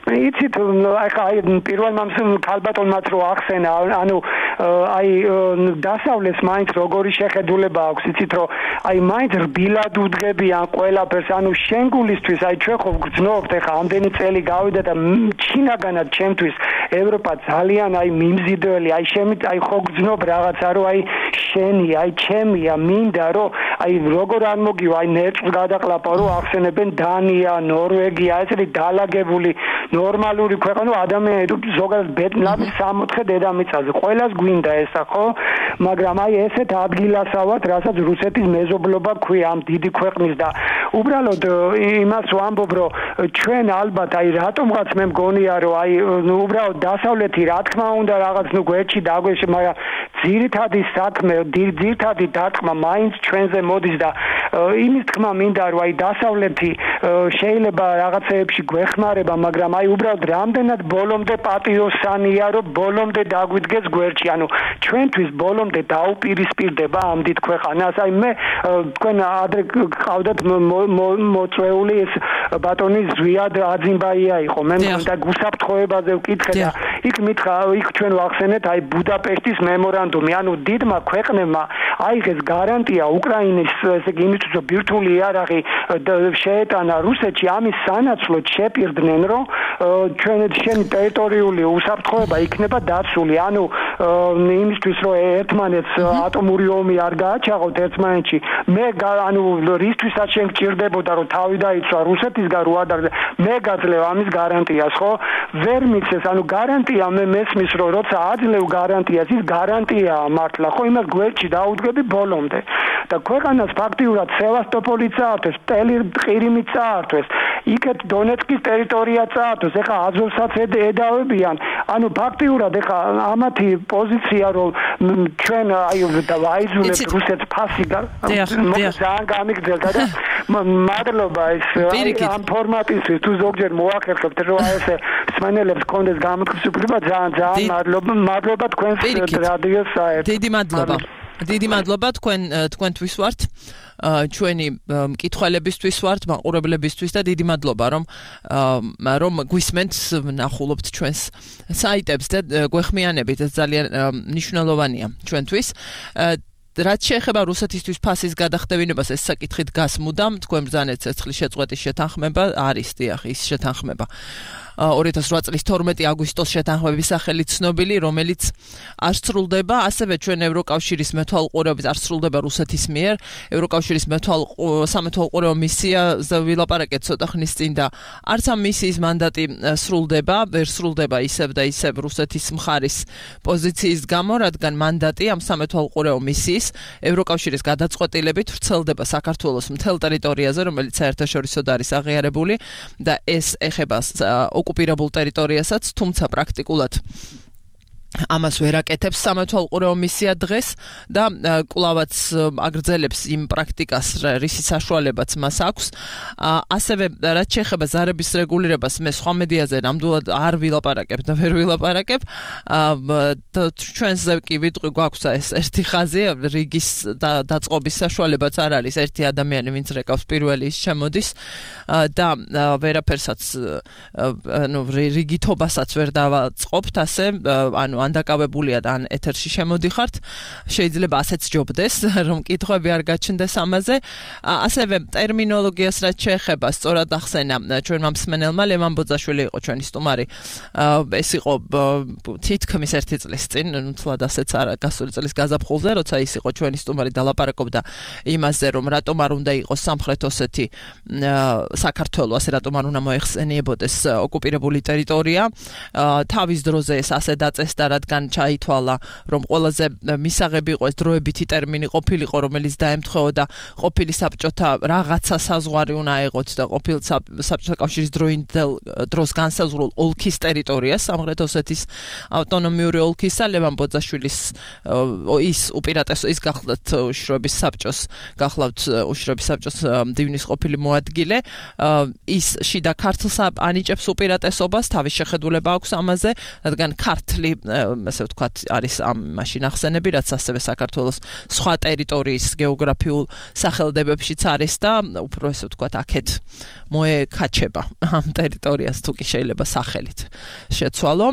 იცით აი პირველმა ქალბატონმაც რო ახსენა ანუ აი დასავლეს მაინც როგორი შეხედულება აქვს იცით რომ აი მაინც რბილად უძღებიან ყველაფერს ანუ შენგულისთვის აი ჩვენ ხო გძნობთ ეხა ამდენი წელი გავიდა და ჩინაგანად ჩემთვის ევროპა ძალიან აი მიმზიდველი აი შემი აი ხო გძნობ რაღაცა რომ აი შენი აი ჩემია მინდა რომ აი როგორ არ მოგივა აი ნერწს გადაყლაპა რომ ახსენებენ დანია ნორვეგია ესეთი დალაგებული ნორმალური ქვეყანა ადამიანი ზოგადად ბედნიერი სამოთხე დედამიწაზე ყველას გვინდა ესა ხო მაგრამ აი ესეთ ადგილასავად რასაც რუსეთის მეზობლობა ქვია ამ დიდი ქვეყნის და უბრალოდ იმას ვამბობ რომ ჩვენ ალბათ აი რატომღაც მე მგონია რომ აი უბრალოდ დასავლეთი რა თქმა უნდა რაღაც ნუ გვერდში დაგვეშ მაგრამ ძირითადი საქმე ძირითადი დარტყმა მაინც ჩვენზე მოდის და იმის თქმა მინდა რომ აი დასავლეთი შეიძლება რაღაცეებში გვეხმარება მაგრამ აი უბრალოდ რამდენად ბოლომდე პატიოსანია რომ ბოლომდე დაგვიდგეს გვერდში ანუ ჩვენთვის ბოლომდე დაუპირისპირდება ამ დიდ ქვეყანას აი მე თქვენ ადრე ყავდათ მოწვეული ეს ბატონი ზვიად აძიმბაია იყო მე მგონდა გუსაფრთხოებაზე ვკითხე და იქ მითხრა იქ ჩვენ ვახსენეთ აი ბუდაპეშტის მემორანდუმი ანუ დიდმა ქვეყნებმა აიღეს გარანტია უკრაინის ესე იგი იმისთვის რომ ბირთვული იარაღი შეეტანა რუსეთში ამის სანაცვლოდ შეპირდნენ რომ ჩვენ შენი ტერიტორიული უსაფრთხოება იქნება დაცული ანუ იმისთვის რომ ერთმანეთს ატომური ომი არ გააჩაღოთ ერთმანეთში მე ანუ რისთვისაც შენ გჭირდებოდა რომ თავი დაიცვა რუსეთისგან რო ადარ მე გაძლევ ამის გარანტიას ხო ვერ მიცეს ანუ გარანტია მე მესმის რომ როცა აძლევ გარანტიას ის გარანტიაა მართლა ხო იმას გვერდში დაუდგები ბოლომდე და ქვეყანას ფაქტიურად სევასტოპოლი წაართვეს ტელი ყირიმი წაართვეს იქეთ დონეცკის ტერიტორია წაართვეს ეხა აზოვსაც ედავებიან ანუ ფაქტიურად ეხა ამათი პოზიცია რომ ჩვენ აი ვაიზულებთ რუსეთს ფასი ძალიან გამიგრძელდა და მადლობა ეს ამ ფორმატისთვის თუ ზოგჯერ მოახერხებთ რომ აი ესე სმენელებს კონდეს გამოთქმის უფლება ძალიან ძალიან მადლობა მადლობა თქვენს რადიოს საერთოდ დიდი მადლობა დიდი მადლობა თქვენ თქვენთვის ვართ ჩვენი მკითხველებისთვის ვართ მაყურებლებისთვის და დიდი მადლობა რომ რომ გვისმენთ ნახულობთ ჩვენს საიტებს და გვეხმიანებით ეს ძალიან მნიშვნელოვანია ჩვენთვის რაც შეეხება რუსეთისთვის ფასის გადახდევინებას ეს საკითხი დგას მუდამ თქვენ ბრძანეთ ცეცხლის შეწყვეტის შეთანხმება არის დიახ ის შეთანხმება ორი ათას რვა წლის თორმეტი აგვისტოს შეთანხმების სახელით ცნობილი, რომელიც არ სრულდება, ასევე ჩვენ ევროკავშირის მეთვალყურეობით არ სრულდება რუსეთის მიერ. ევროკავშირის სამეთვალყურეო მისია ვილაპარაკეთ ცოტა ხნის წინ და არც ამ მისიის მანდატი სრულდება, ვერ სრულდება ისევ და ისევ რუსეთის მხარის პოზიციის გამო, რადგან მანდატი ამ სამეთვალყურეო მისიის ევროკავშირის გადაწყვეტილებით ვრცელდება საქართველოს მთელ ტერიტორიაზე, რომელიც საერთაშორისოდ არის აღიარებული და ეს ეხება ოკუპირებულ ტერიტორიასაც, თუმცა პრაქტიკულად ამას ვერ აკეთებს სამეთვალყურეო მისია დღეს და კვლავაც აგრძელებს იმ პრაქტიკას, რისი საშუალებაც მას აქვს. ასევე რაც შეეხება ზარების რეგულირებას, მე სხვა მედიაზე ნამდვილად არ ვილაპარაკებ და ვერ ვილაპარაკებ. ჩვენზე კი ვიტყვი გვაქვს ეს ერთი ხაზი, რიგის დაწყობის საშუალებაც არ არის ერთი ადამიანი, ვინც რეკავს პირველი ის შემოდის და ვერაფერსაც ანუ რიგითობასაც ვერ დავაწყობთ ასე, ანუ ან დაკავებულია და ან ეთერში შემოდიხართ, შეიძლება ასეც ჯობდეს, რომ კითხვები არ გაჩნდეს ამაზე. ასევე ტერმინოლოგიას რაც შეეხება, სწორად ახსენა ჩვენმა მსმენელმა, ლევან ბოძაშვილი იყო ჩვენი სტუმარი. ეს იყო თითქმის ერთი წლის წინ, თლად ასეც არა, გასული წლის გაზაფხულზე, როცა ის იყო ჩვენი სტუმარი და ლაპარაკობდა იმაზე, რომ რატომ არ უნდა იყოს სამხრეთ ოსეთი საქართველო, ასე რატომ არ უნდა მოეხსენიებოდეს ოკუპირებული ტერიტორია. თავის დროზე ეს ასე დაწესდა, რადგან ჩაითვალა, რომ ყველაზე მისაღები იყო ეს დროებითი ტერმინი ყოფილიყო, რომელიც დაემთხვეოდა ყოფილი საბჭოთა რაღაცა საზღვარი უნდა აეღოთ და ყოფილ საბჭოთა კავშირის დროინდელ დროს განსაზღვრულ ოლქის ტერიტორიას, სამხრეთ ოსეთის ავტონომიური ოლქისა, ლევან ბოძაშვილის ის უპირატესო ის გახლავთ უშიშროების საბჭოს, გახლავთ უშიშროების საბჭოს მდივნის ყოფილი მოადგილე, ის შიდა ქართლს ანიჭებს უპირატესობას, თავის შეხედულება აქვს ამაზე, რადგან ქართლი ასე ვთქვათ, არის ამ მაშინ ახსენები, რაც ასევე საქართველოს სხვა ტერიტორიის გეოგრაფიულ სახელდებებშიც არის და უფრო ასე ვთქვათ, აქეთ მოეკაჩება ამ ტერიტორიას თუ კი შეიძლება სახელით შეცვალო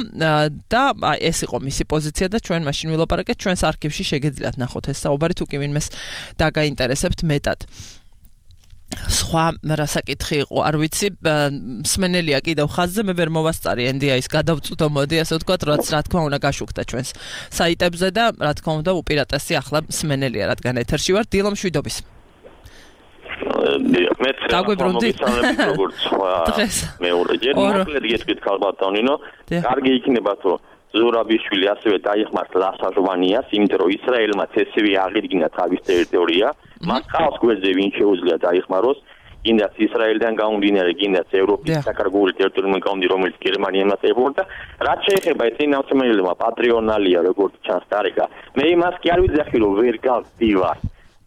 და ეს იყო მისი პოზიცია და ჩვენ მაშინ ვილაპარაკეთ, ჩვენს არქივში შეგეძლიათ ნახოთ ეს საუბარი, თუ კი ვინმეს დაგაინტერესებთ მეტად. სხვა რასაკითხი იყო, არ ვიცი, მსმენელია კიდევ ხაზზე, მე ვერ მოვასწარი ენ დი აის გადავწყვიტო, მოდი ასე ვთქვათ, რაც რა თქმა უნდა გაშუქდა ჩვენს საიტებზე და რა თქმა უნდა უპირატესი ახლა მსმენელია, რადგან ეთერში ვარ. დილო მშვიდობის. მე დაგვიბრუნდი როგორც სხვა მეორე ჯერ მოკლედ გეტყვით ქალბატონინო, კარგი იქნება თუ ზურაბიშვილი ასევე დაიხმართ ლასაჟვანიას, იმიტომ რომ ისრაელმა ცესივე აღიდგინა თავის ტერიტორია, მას ყავს გვერდზე ვინ შეუძლია დაიხმაროს, კიდაც ისრაელიდან გამომდინარე, კიდაც ევროპის საკარგული ტერიტორიიდან გამომდინარე, რომელიც გერმანიამ აწევდა, რაც შეეხება ეს ნაციონალიზმმა პატრიონალია, როგორც ჩანს დარეკა. მე იმას კი არ ვიძახი, რომ ვერ გავდივარ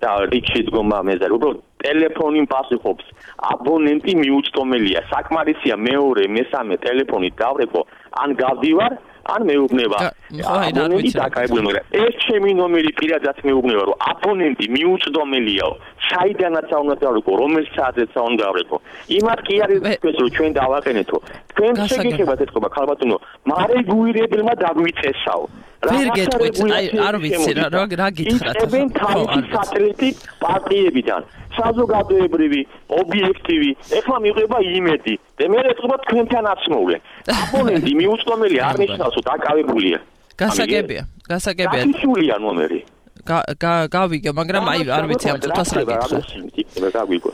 და რიგში დგომა მეზარ, უბრალოდ ტელეფონი პასუხობს, აბონენტი მიუწვდომელია, საკმარისია მეორე, მესამე ტელეფონი დავრეკო, ან გავდივარ ან მეუბნება აბონენტი დაკავებული, მაგრამ ეს ჩემი ნომერი პირადად მეუბნება, რომ აბონენტი მიუწვდომელიაო, საიდანაც უნდა დავრეკო, რომელ საათზეც უნდა დავრეკო. იმას კი არის თქვენ რომ ჩვენ დავაყენეთო. თქვენ შეგეხებათ ეთქობა ქალბატონო, მარეგუირებელმა დაგვიწესაო. ვერ გეტყვით, აი არ ვიცი რა რა გითხრათ. ეს თავისი სატელიტი პარტიებიდან საზოგადოებრივი, ობიექტივი, ეხლა მიიღება იმედი. და მე ეთქობა თქვენთან აცმოვლე. აბონენტი მიუწვდომელი არ ნიშნავს, რომ დაკავებულია. გასაგებია, გასაგებია. გასულია ნომერი. გავიგე, მაგრამ აი არ ვიცი ამ წუთას რა გითხრათ. გავიგო.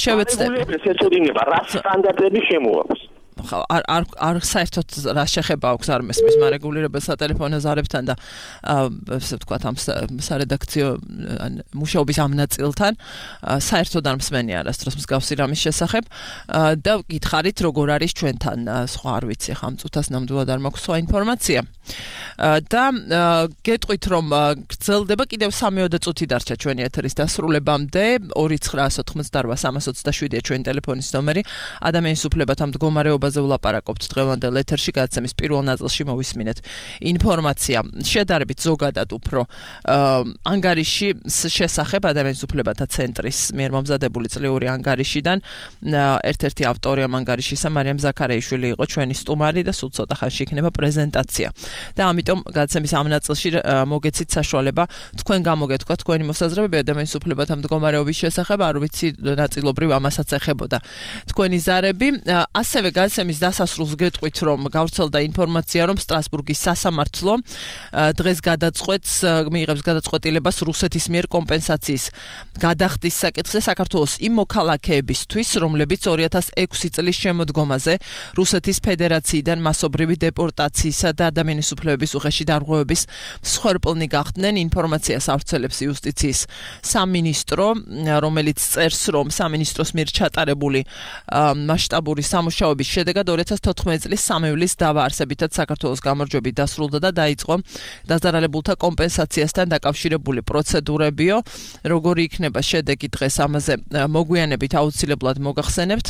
შევეცდები. ეს ეცოდინება რა სტანდარტები შემოაქვს. არ არ არ საერთოდ რა შეხება აქვს არ მესმის მარეგულირებელ სატელეფონო ზარებთან და ასე ვთქვათ ამ სარედაქციო მუშაობის ამ ნაწილთან საერთოდ არ მსმენი არასდროს მსგავსი რამის შესახებ და გითხარით როგორ არის ჩვენთან სხვა არ ვიცი ხა ამ წუთას ნამდვილად არ მაქვს სხვა ინფორმაცია და გეტყვით რომ გრძელდება კიდევ სამი-ოცდაშვიდი წუთი დარჩა ჩვენი ეთერის დასრულებამდე ორი ცხრა ოთხმოცდაოთხ სამას ოცდაშვიდია ჩვენი ტელეფონის ნომერი ადამიანის უფლებათა მდგომარეობა ვლაპარაკობთ დღევანდელ ეთერში გადაცემის პირველ ნაწილში მოვისმინეთ ინფორმაცია შედარებით ზოგადად უფრო ანგარიში შესახებ ადამიანის უფლებათა ცენტრის მიერ მომზადებული წლიური ანგარიშიდან ერთ-ერთი ავტორი ამ ანგარიშისა მარიამ ზაქარაიშვილი იყო ჩვენი სტუმარი და სულ ცოტა ხანში იქნება პრეზენტაცია და ამიტომ გადაცემის ამ ნაწილში მოგეცით საშუალება თქვენ გამოგეთქვა თქვენი მოსაზრებები ადამიანის უფლებათა მდგომარეობის შესახებ არ ვიცი ნაწილობრივ ამასაც ეხებოდა თქვენი ზარები ასევე გადაცემის დასასრულს გეტყვით რომ გავრცელდა ინფორმაცია რომ სტრასბურგის სასამართლო დღეს გადაწყვეტს მიიღებს გადაწყვეტილებას რუსეთის მიერ კომპენსაციის გადახდის საკითხზე საქართველოს იმ მოქალაქეებისთვის რომლებიც ორი ათას ექვსი წლის შემოდგომაზე რუსეთის ფედერაციიდან მასობრივი დეპორტაციისა და ადამიანის უფლებების უხეში დარღვევების მსხვერპლნი გახდნენ ინფორმაციას ავრცელებს იუსტიციის სამინისტრო რომელიც წერს რომ სამინისტროს მიერ ჩატარებული მასშტაბური სამუშაოების შედეგად ორი ათას თოთხმეტი წლის სამივლის დავაარსებითაც საქართველოს გამარჯვებით დასრულდა და დაიწყო დაზარალებულთა კომპენსაციასთან დაკავშირებული პროცედურებიო. როგორი იქნება შედეგი დღეს ამაზე მოგვიანებით აუცილებლად მოგახსენებთ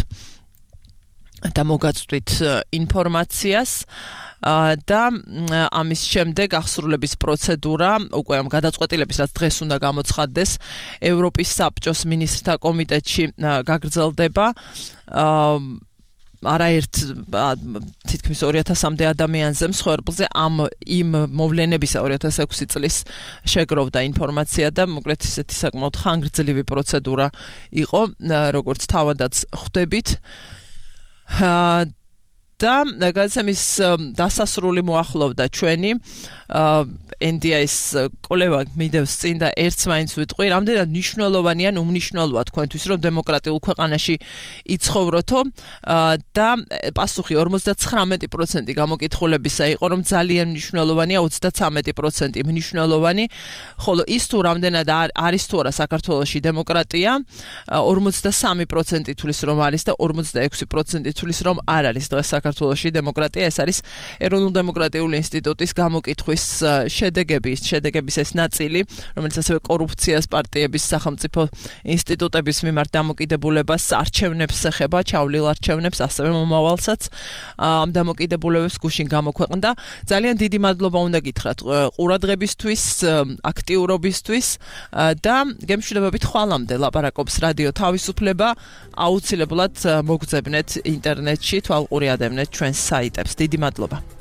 და მოგაწვდით ინფორმაციას. და ამის შემდეგ აღსრულების პროცედურა უკვე ამ გადაწყვეტილების რაც დღეს უნდა გამოცხადდეს ევროპის საბჭოს მინისტრთა კომიტეტში გაგრძელდება. არაერთ თითქმის ორი ათასამდე ადამიანზე მსხვერპლზე ამ იმ მოვლენებისა ორი ათას ექვსი წლის შეგროვდა ინფორმაცია და მოკლედ ისეთი საკმაოდ ხანგრძლივი პროცედურა იყო, როგორც თავადაც ხვდებით. და გადაცემის დასასრული მოახლოვდა ჩვენი ენ დი აის კოლევა მიდევს წინ და ერთს მაინც ვიტყვი, რამდენად მნიშვნელოვანია, უმნიშვნელოა თქვენთვის, რომ დემოკრატიულ ქვეყანაში იცხოვროთო და პასუხი ორმოცდათხრამეტი პროცენტი გამოკითხულებისა იყო, რომ ძალიან მნიშვნელოვანია ოცდათვრამეტი პროცენტი მნიშვნელოვანი, ხოლო ის თუ რამდენად არის თუ არა საქართველოში დემოკრატია, ორმოცდასამი პროცენტი თulis რომ არის და ორმოცდაექვსი პროცენტი თulis რომ არ არის დღეს საქართველოში დემოკრატია. ეს არის ეროვნულ-დემოკრატიული ინსტიტუტის გამოკითხვის შედეგები, შედეგების ეს ნაწილი, რომელიც ასევე კორუფციას, პარტიების, სახელმწიფო ინსტიტუტების მიმართ დამოკიდებულებას, არჩევნებს ეხება, ჩავლილ არჩევნებს, ასევე მომავალსაც ამ დამოკიდებულებებს გუშინ გამოქვეყნდა. ძალიან დიდი მადლობა უნდა გითხრათ ყურადღებისთვის, აქტიურობისთვის და გემშვიდობებით ხვალამდე ლაპარაკობს რადიო თავისუფლება. აუცილებლად მოგძებნეთ ინტერნეტში, თვალყური ადევნეთ ჩვენს საიტებს. დიდი მადლობა.